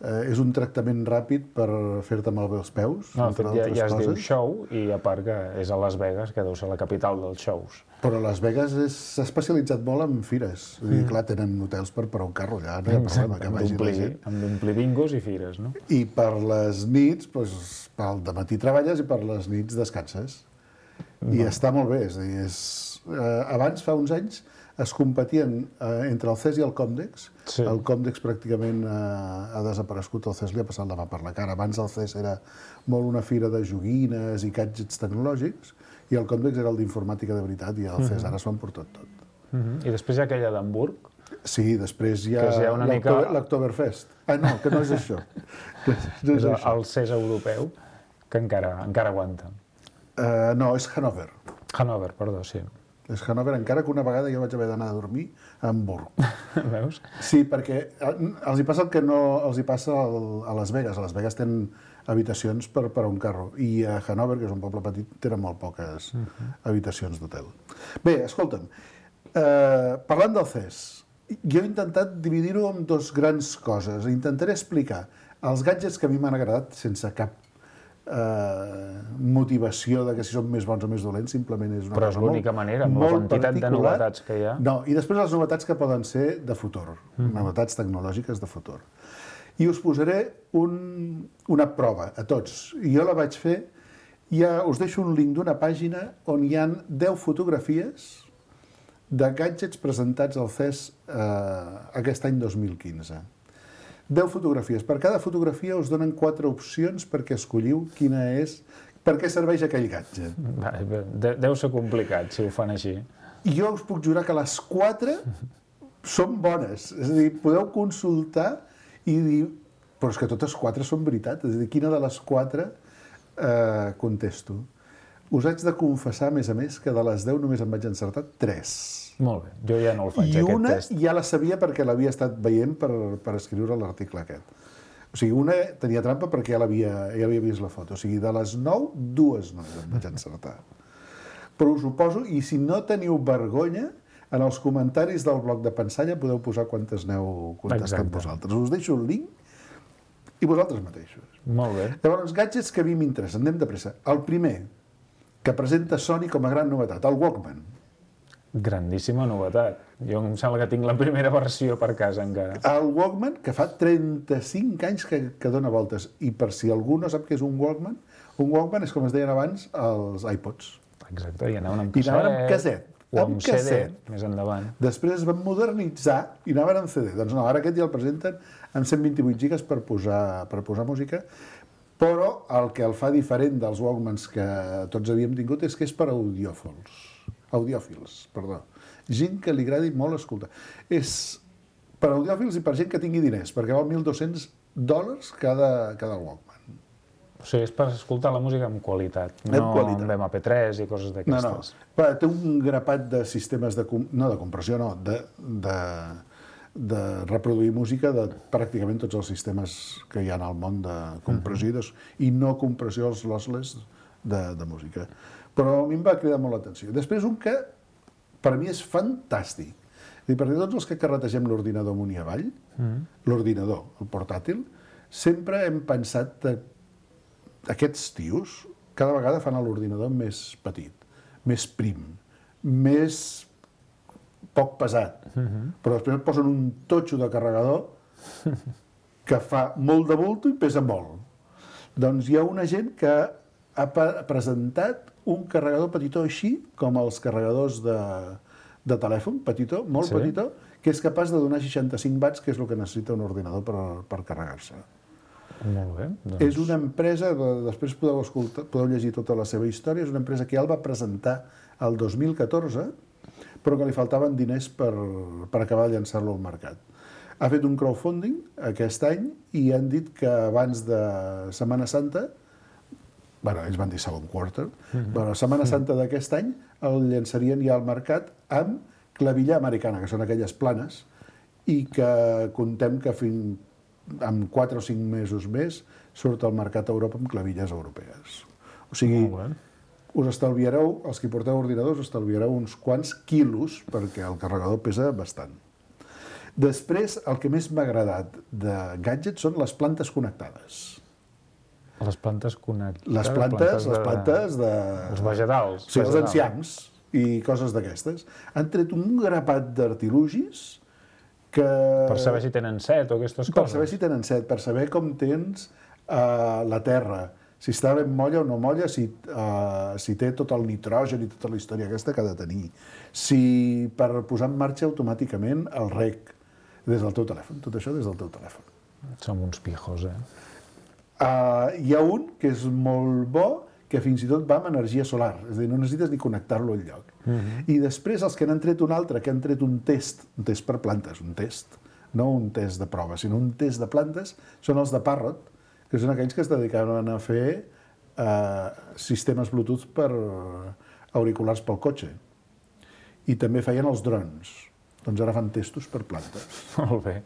eh, és un tractament ràpid per fer-te malbé els peus, no, entre ja, altres ja es coses. diu show, i a part que és a Las Vegas, que deu ser la capital dels shows. Però Las Vegas s'ha especialitzat molt en fires. Mm. I clar, tenen hotels per parar un carro allà, no hi ha problema que vagi la gent. Hem d'omplir bingos i fires, no? I per les nits, doncs, pel dematí treballes i per les nits descanses. No. I està molt bé. És a dir, és, eh, abans, fa uns anys, es competien eh, entre el C E S i el Comdex. Sí. El Comdex pràcticament eh, ha desaparegut, el C E S li ha passat la mà per la cara. Abans el C E S era molt una fira de joguines i gadgets tecnològics, i el Comdex era el d'informàtica de veritat, i el C E S ara s'ho han portat tot. Uh-huh. I després hi ha aquella d'Hamburg. Sí, després hi ha, ha l'Oktoberfest. Mica... Ah, no, que no és això. No és, és això. El C E S europeu, que encara, encara aguanta. Uh, no, és Hannover. Hannover, perdó, sí. És Hannover, encara que una vegada jo vaig haver d'anar a dormir a Hamburg. Veus? Sí, perquè els hi passa el que no els hi passa a Las Vegas. A Las Vegas tenen habitacions per, per a un carro. I a Hannover, que és un poble petit, tenen molt poques uh-huh. habitacions d'hotel. Bé, escolta'm, eh, parlant del C E S, jo he intentat dividir-ho en dos grans coses. Intentaré explicar els gadgets que a mi m'han agradat sense cap eh, motivació de que si són més bons o més dolents, simplement és una Però cosa és l'única manera, amb la quantitat de novetats que hi ha. No, i després les novetats que poden ser de futur, mm. novetats tecnològiques de futur. I us posaré un, una prova a tots. I jo la vaig fer, ja us deixo un link d'una pàgina on hi ha deu fotografies de gadgets presentats al C E S eh, aquest any dos mil quinze. deu fotografies. Per cada fotografia us donen quatre opcions perquè escolliu quina és, per què serveix aquell gadget. Deu ser complicat si ho fan així. I jo us puc jurar que les quatre són bones. És a dir, podeu consultar i dir, però és que totes quatre són veritat. És a dir, quina de les quatre eh, contesto. Us haig de confessar, a més a més, que de les deu només em vaig encertar tres. Molt bé, jo ja no el faig, I aquest una test. ja la sabia perquè l'havia estat veient per, per escriure l'article aquest. O sigui, una tenia trampa perquè ja l'havia ja havia vist la foto. O sigui, de les nou, dues només em vaig encertar. Però us ho poso, i si no teniu vergonya, en els comentaris del blog de Pensalla podeu posar quantes aneu contestant vosaltres. Us deixo el link i vosaltres mateixos. Molt bé. Llavors, gadgets que a mi m'interessen. Anem de pressa. El primer, que presenta Sony com a gran novetat, el Walkman. Grandíssima novetat. Jo em sembla que tinc la primera versió per casa encara. El Walkman, que fa trenta-cinc anys que, que dona voltes. I per si algú no sap què és un Walkman, un Walkman és, com es deien abans, els iPods. Exacte, i anaven amb I casset. anaven amb casset. O amb amb C D, casset. més endavant. Després es van modernitzar i anaven amb C D. Doncs no, ara aquest ja el presenten amb cent vint-i-vuit gigas per posar, per posar música, però el que el fa diferent dels Walkmans que tots havíem tingut és que és per audiòfils. Audiòfils, perdó. Gent que li agradi molt escoltar. És per audiòfils i per gent que tingui diners, perquè val mil dos-cents dòlars cada, cada Walkman. O sigui, és per escoltar la música amb qualitat, no Amb qualitat. amb ema pe tres i coses No, d'aquestes. no. Va, té un grapat de sistemes de... com- No de compressió, no. De, de, de reproduir música de pràcticament tots els sistemes que hi ha al món de compressió uh -huh. i no compressió, els lossless de, de música. Però a mi em va cridar molt l'atenció. Després un que per mi és fantàstic. I perquè tots els que carretegem l'ordinador amunt i avall, uh -huh. l'ordinador, el portàtil, sempre hem pensat que aquests tios cada vegada fan l'ordinador més petit, més prim, més poc pesat, uh-huh. però després et posen un totxo de carregador que fa molt de bulto i pesa molt. Doncs hi ha una gent que ha presentat un carregador petitó així, com els carregadors de, de telèfon, petitó, molt sí. petitó, que és capaç de donar seixanta-cinc watts, que és el que necessita un ordinador per, per carregar-se. Molt bé. Doncs... És una empresa, després podeu, escoltar, podeu llegir tota la seva història, és una empresa que ja el va presentar el dos mil catorze, però que li faltaven diners per, per acabar de llançar-lo al mercat. Ha fet un crowdfunding aquest any i han dit que abans de Setmana Santa, bueno, ells van dir segon quarter, uh-huh. bueno, Setmana Santa d'aquest any el llançarien ja al mercat amb clavilla americana, que són aquelles planes, i que contem que fins en quatre o cinc mesos més surt al mercat a Europa amb clavilles europees. O sigui, us estalviareu, els que porteu ordinadors, estalviareu uns quants quilos, perquè el carregador pesa bastant. Després, el que més m'ha agradat de gadgets són les plantes connectades. Les plantes connectades? Les plantes, les plantes de... Els vegetals. Sí, els enciams i coses d'aquestes. Han tret un grapat d'artilugis que... Per saber si tenen set o aquestes coses? Per saber si tenen set, per saber com tens uh, la terra, si està ben molla o no molla, si, uh, si té tot el nitrogen i tota la història aquesta que ha de tenir, si per posar en marxa automàticament el rec des del teu telèfon, tot això des del teu telèfon. Som uns pijos, eh? Uh, hi ha un que és molt bo, que fins i tot va amb energia solar, és a dir, no necessites ni connectar-lo al lloc. Uh-huh. I després els que n'han tret un altre, que han tret un test, un test per plantes, un test, no un test de prova, sinó un test de plantes, són els de Parrot, que són aquells que es dedicaven a fer uh, sistemes Bluetooth per auriculars pel cotxe. I també feien els drons. Doncs ara fan testos per plantes. Molt bé.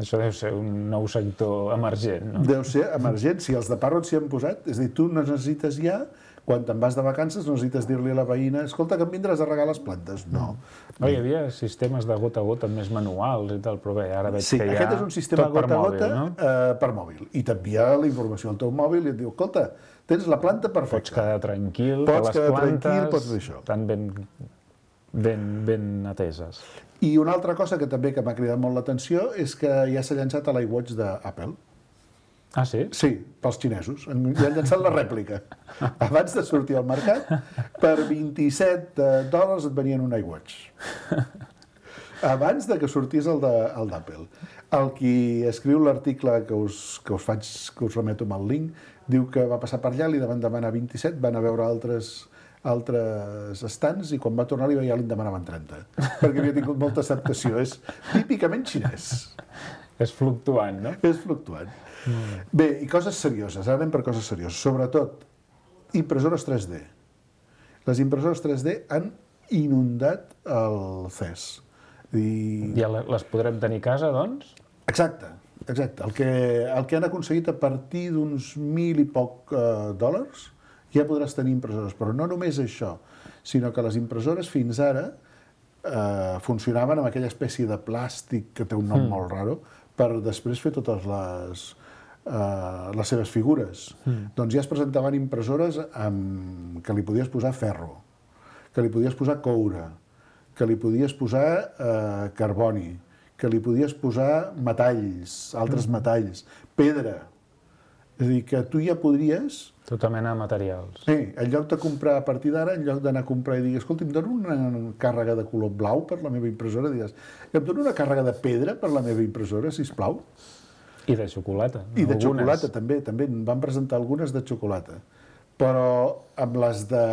Això deu ser un nou sector emergent, no? Deu ser emergent. Si els de Parrot s'hi han posat, és a dir, tu no necessites ja, quan te'n vas de vacances, no necessites dir-li a la veïna escolta, que em vindràs a regar les plantes. No. No, hi havia sistemes de gota a gota més manuals i tal, però bé, ara veig sí, que hi ha aquest és un sistema tot per gota a mòbil, gota no? eh, per mòbil. I t'envia la informació al teu mòbil i et diu, escolta, tens la planta perfecta. Pots quedar tranquil, pots que les quedar plantes tranquil, pots fer això. estan ben, ben, ben ateses. I una altra cosa que també que m'ha cridat molt l'atenció és que ja s'ha llançat a l'iWatch d'Apple. Ah, sí? Sí, pels xinesos. Ja han llançat la rèplica. Abans de sortir al mercat, per vint-i-set dòlars et venien un iWatch. Abans de que sortís el d'Apple. El qui escriu l'article que us, que us faig, que us remeto amb el link, diu que va passar per allà, li van demanar vint-i-set, van a veure altres altres estants i quan va tornar ja li en demanaven trenta, perquè havia tingut molta acceptació. És típicament xinès. És fluctuant, no? És fluctuant. Mm. Bé, i coses serioses, ara anem per coses serioses. Sobretot, impressores tres D. Les impressores tres D han inundat el C E S. I... Ja les podrem tenir a casa, doncs? Exacte, exacte. El que, el que han aconseguit a partir d'uns mil i poc eh, dòlars ja podràs tenir impressores, però no només això, sinó que les impressores fins ara eh, funcionaven amb aquella espècie de plàstic que té un nom mm. molt raro, per després fer totes les, eh, les seves figures. Mm. Doncs ja es presentaven impressores amb, que li podies posar ferro, que li podies posar coure, que li podies posar eh, carboni, que li podies posar metalls, altres mm. metalls, pedra. És a dir, que tu ja podries... Tota mena de materials. Sí, en lloc de comprar a partir d'ara, en lloc d'anar a comprar i dir, escolta, em dono una càrrega de color blau per la meva impressora, digues, em dono una càrrega de pedra per la meva impressora, sisplau. I de xocolata. I de xocolata, també. També en van presentar algunes de xocolata. Però amb les de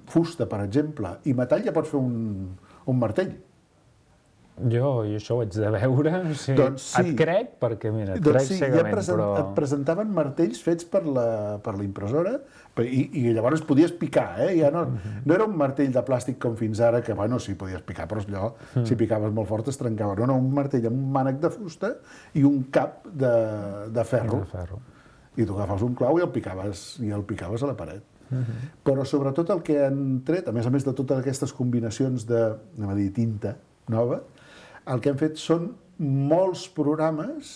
fusta, per exemple, i metall ja pots fer un, un martell. Jo, jo això ho haig de veure, o sigui, doncs sí. Et crec, perquè mira, et doncs crec sí, cegament, ja present, però... et presentaven martells fets per la, per la impressora i, i llavors podies picar, eh? Ja no, uh-huh. no era un martell de plàstic com fins ara, que bueno, sí, podies picar, però allò, uh-huh. si picaves molt fort es trencava. No, no, un martell amb un mànec de fusta i un cap de, de ferro. De ferro. I tu agafaves un clau i el picaves, i el picaves a la paret. Uh-huh. Però sobretot el que han tret, a més a més de totes aquestes combinacions de, anem a dir, tinta nova, el que hem fet són molts programes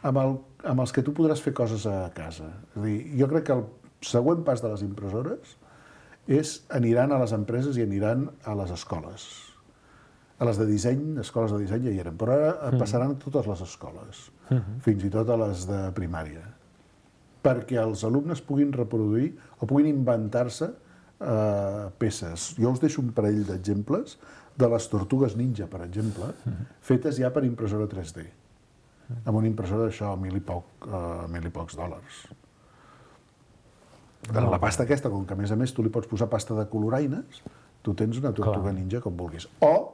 amb, el, amb els que tu podràs fer coses a casa. És a dir, jo crec que el següent pas de les impressores és aniran a les empreses i aniran a les escoles. A les de disseny, escoles de disseny ja hi eren, però ara passaran a totes les escoles, uh-huh. fins i tot a les de primària, perquè els alumnes puguin reproduir o puguin inventar-se eh, peces. Jo us deixo un parell d'exemples de les tortugues ninja, per exemple, uh-huh. fetes ja per impressora tres D, uh-huh. amb una impressora d'això, mil i, poc, uh, mil i pocs dòlars. No. La pasta aquesta, com que a més a més tu li pots posar pasta de coloraines, tu tens una tortuga Clar. ninja com vulguis. O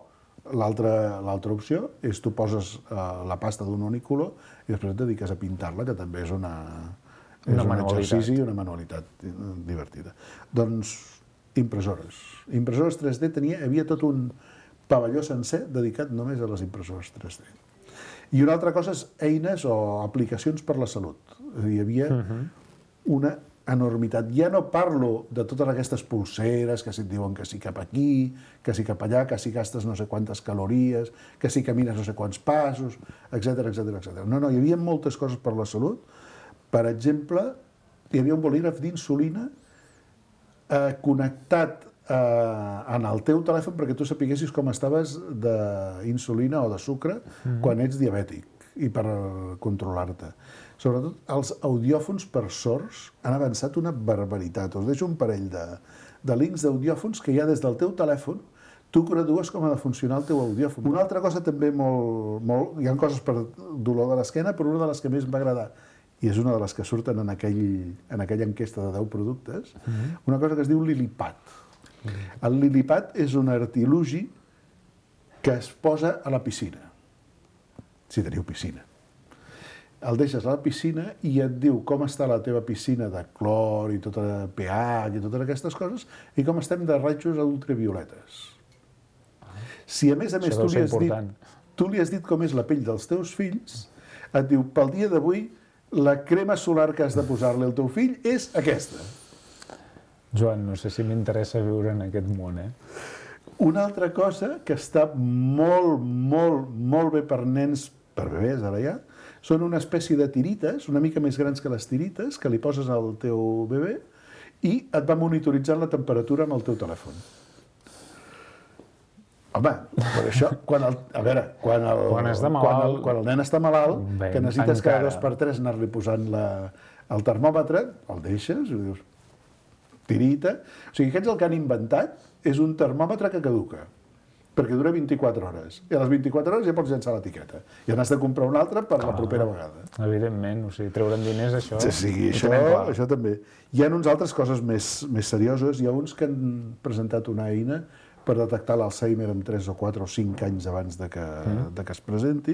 l'altra l'altra opció és tu poses uh, la pasta d'un únic color i després et dediques a pintar-la, que també és una... És una un exercici i manualitat. una manualitat divertida. Doncs impressores. Impressores tres D tenia, hi havia tot un pavelló sencer dedicat només a les impressores tres D. I una altra cosa és eines o aplicacions per la salut. Hi havia uh-huh. una enormitat. Ja no parlo de totes aquestes pulseres que si et diuen que si cap aquí, que si cap allà, que si gastes no sé quantes calories, que si camines no sé quants passos, etcètera, etcètera, etcètera. No, no, hi havia moltes coses per la salut. Per exemple, hi havia un bolígraf d'insulina eh, connectat eh, en el teu telèfon perquè tu sapiguessis com estaves d'insulina o de sucre mm-hmm. quan ets diabètic i per controlar-te. Sobretot, els audiòfons per sords han avançat una barbaritat. Us deixo un parell de, de links d'audiòfons que ja des del teu telèfon tu gradues com ha de funcionar el teu audiòfon. Una altra cosa també molt... molt hi ha coses per dolor de l'esquena, però una de les que més m'ha agradat i és una de les que surten en, aquell, en aquella enquesta de deu productes, mm-hmm. una cosa que es diu Lilipad. Mm-hmm. El Lilipad és un artilugi que es posa a la piscina, si teniu piscina. El deixes a la piscina i et diu com està la teva piscina de clor i tota pH i totes aquestes coses i com estem de rajos ultravioletes. Si a més a més tu li, has dit, tu li has dit com és la pell dels teus fills, et diu, pel dia d'avui, la crema solar que has de posar-li al teu fill és aquesta. Joan, no sé si m'interessa viure en aquest món, eh? Una altra cosa que està molt, molt, molt bé per nens, per bebès ara ja, són una espècie de tirites, una mica més grans que les tirites, que li poses al teu bebè i et va monitoritzant la temperatura amb el teu telèfon. Home, per això, quan el, a veure, quan el, quan, malalt, quan, el, quan el nen està malalt, bé, que necessites encara. cada dos per tres anar-li posant la, el termòmetre, el deixes i dius, tirita. O sigui, aquests el que han inventat és un termòmetre que caduca, perquè dura vint-i-quatre hores. I a les vint-i-quatre hores ja pots llançar l'etiqueta. I n'has de comprar un altre per Clar, la propera vegada. Evidentment, o sigui, treure'n diners, això... Sí, sí això, això també. Hi ha uns altres coses més, més serioses. Hi ha uns que han presentat una eina per detectar l'Alzheimer en tres o quatre o cinc anys abans de que, mm. de que es presenti,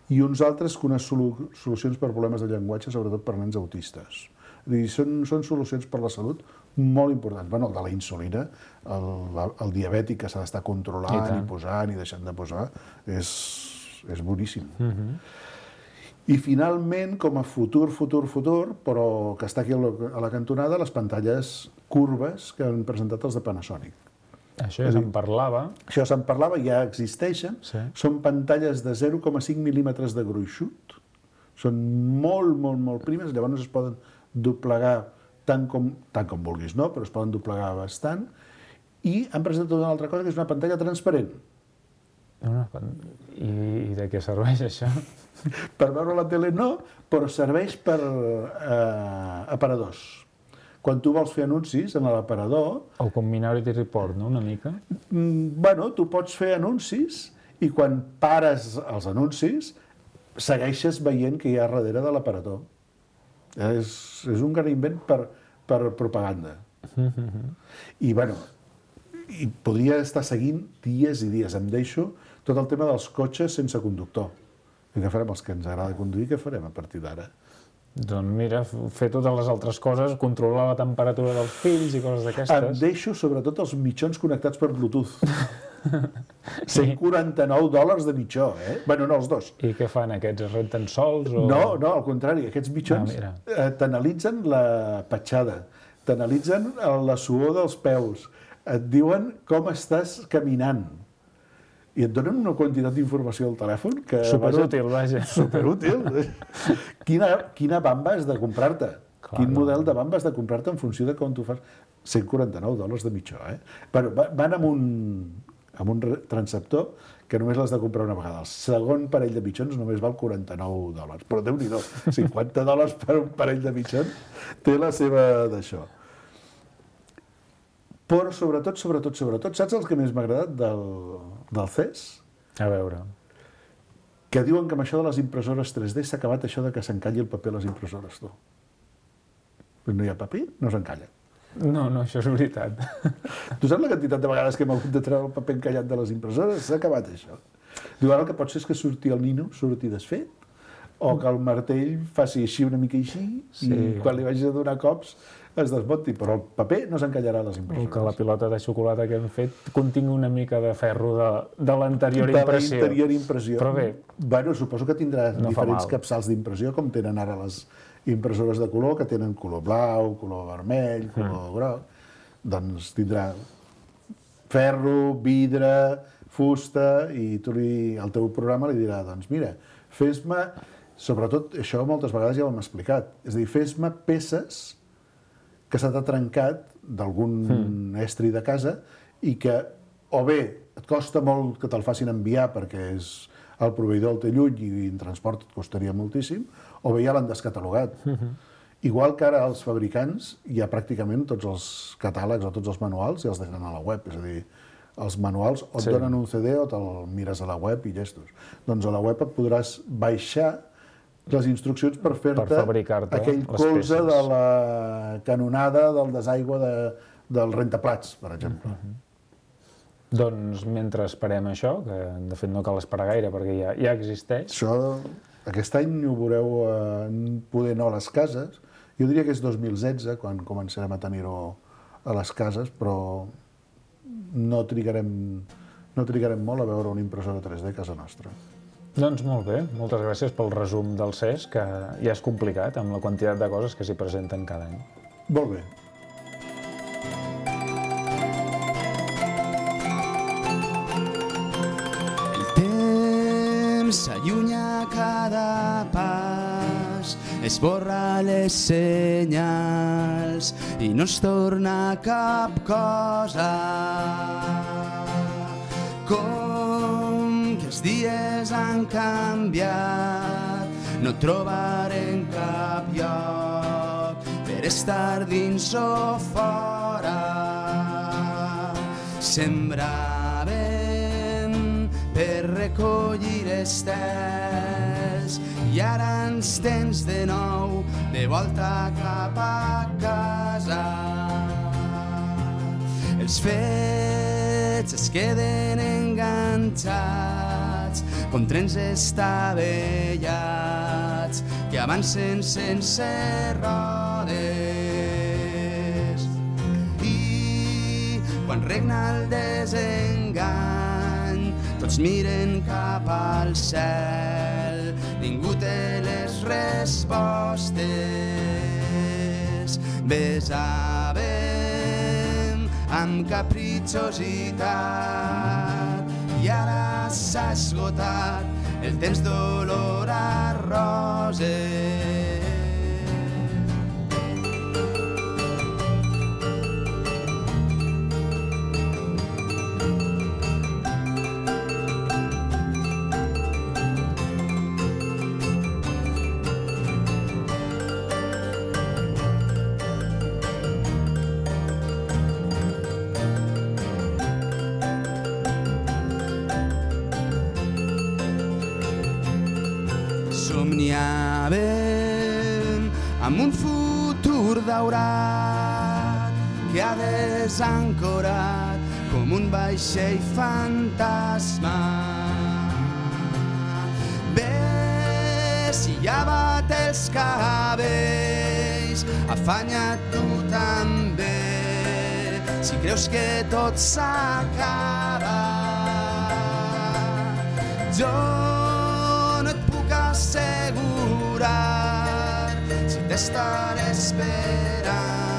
i uns altres que unes solu solucions per problemes de llenguatge, sobretot per nens autistes. Dir, són, són solucions per la salut molt importants. Bueno, el de la insulina, el, el diabètic que s'ha d'estar controlant i, i posant i deixant de posar, és, és boníssim. Mm-hmm. I finalment, com a futur, futur, futur, però que està aquí a la cantonada, les pantalles curves que han presentat els de Panasonic. Això ja se'n parlava. Això se'n parlava, ja existeixen. Sí. Són pantalles de zero coma cinc mil·límetres de gruixut. Són molt, molt, molt primes. Llavors es poden doblegar tant com, tant com vulguis, no? Però es poden doblegar bastant. I han presentat una altra cosa, que és una pantalla transparent. Una pan- I, I de què serveix això? Per veure la tele no, però serveix per eh, aparadors. Quan tu vols fer anuncis en l'aparador, O com Minority Report, no?, una mica. mm, bueno, tu pots fer anuncis i quan pares els anuncis segueixes veient que hi ha darrere de l'aparador. És, és un gran invent per, per propaganda. I, bueno, i podria estar seguint dies i dies. Em deixo tot el tema dels cotxes sense conductor. I què farem els que ens agrada conduir? Què farem a partir d'ara? Doncs mira, fer totes les altres coses, controlar la temperatura dels fills i coses Em d'aquestes. deixo sobretot els mitjons connectats per Bluetooth. cent quaranta-nou dòlars de mitjó, eh? Bueno, no, els dos. I què fan aquests? Es renten sols? O... No, no, al contrari, aquests mitjons Ah, mira. eh, t'analitzen la petjada, t'analitzen la suor dels peus, et diuen com estàs caminant i et donen una quantitat d'informació al telèfon que... Superútil, vaja. Superútil. Quina, quina bamba has de comprar-te? Clar, Quin no. model de bamba has de comprar-te en funció de com tu fas? cent quaranta-nou dòlars de mitjó, eh? Bueno, va- van amb un, amb un re- transceptor que només l'has de comprar una vegada. El segon parell de mitjons només val quaranta-nou dòlars. Però Déu-n'hi-do, cinquanta dòlars per un parell de mitjons té la seva d'això. Però sobretot, sobretot, sobretot, saps el que més m'ha agradat del, del C E S? A veure. Que diuen que amb això de les impressores tres D s'ha acabat això de que s'encalli el paper a les impressores, tu. No hi ha paper, no s'encalla. No, no, això és veritat. Tu saps la quantitat de vegades que hem hagut de treure el paper encallat de les impressores? S'ha acabat això. Diu, ara el que pot ser és que surti el nino, surti desfet, o que el martell faci així una mica així, Sí. i quan li vagis a donar cops es desmunti, però el paper no s'encallarà a les O impressores. que la pilota de xocolata que hem fet contingui una mica de ferro de, de l'anterior de impressió. la interior impressió. Però bé, Bueno, suposo que tindrà No fa diferents mal. capçals d'impressió, com tenen ara les impressores de color, que tenen color blau, color vermell, color groc. Doncs tindrà ferro, vidre, fusta, i tu li, el teu programa li dirà, doncs mira, fes-me, sobretot això moltes vegades ja ho hem explicat, és a dir, fes-me peces que se t'ha trencat d'algun mm. estri de casa i que o bé et costa molt que te'l facin enviar perquè és el proveïdor el té lluny i en transport et costaria moltíssim, o bé ja l'han descatalogat. Mm-hmm. Igual que ara els fabricants, ja pràcticament tots els catàlegs o tots els manuals ja els deixen a la web, és a dir, els manuals o et Sí. donen un C D o te'l mires a la web i llestos. Doncs a la web et podràs baixar les instruccions per fer-te Per fabricar-te aquell les colze peces. de la canonada del desaigua de, del rentaplats, per exemple. doncs mentre esperem això, que de fet no cal esperar gaire perquè ja, ja existeix, Això, aquest any ho veureu eh, poder no a les cases. Jo diria que és dos mil setze, quan començarem a tenir-ho a les cases, però no trigarem, no trigarem molt a veure una impressora tres D a casa nostra. doncs molt bé, moltes gràcies pel resum del C E S, que ja és complicat amb la quantitat de coses que s'hi presenten cada any. Molt bé. El temps s'allunya a cada pas, esborra les senyals i no es torna cap cosa. Com que els dies han canviat, no trobarem cap lloc per estar dins o fora. Sembràvem per recollir estels i ara ens tens de nou de volta cap a casa. Els fets es queden enganxats com trens estavellats que avancen sense rodes. I quan regna el desengany, tots miren cap al cel, ningú té les respostes. Besàvem amb capritxositat. I ara s'ha esgotat el temps d'olor a roses. Somniàvem amb un futur daurat que ha desancorat com un vaixell fantasma. Vessillavat els cabells, afanya't tu també, si creus que tot s'acaba. Jo assegurar si t'estaré esperant.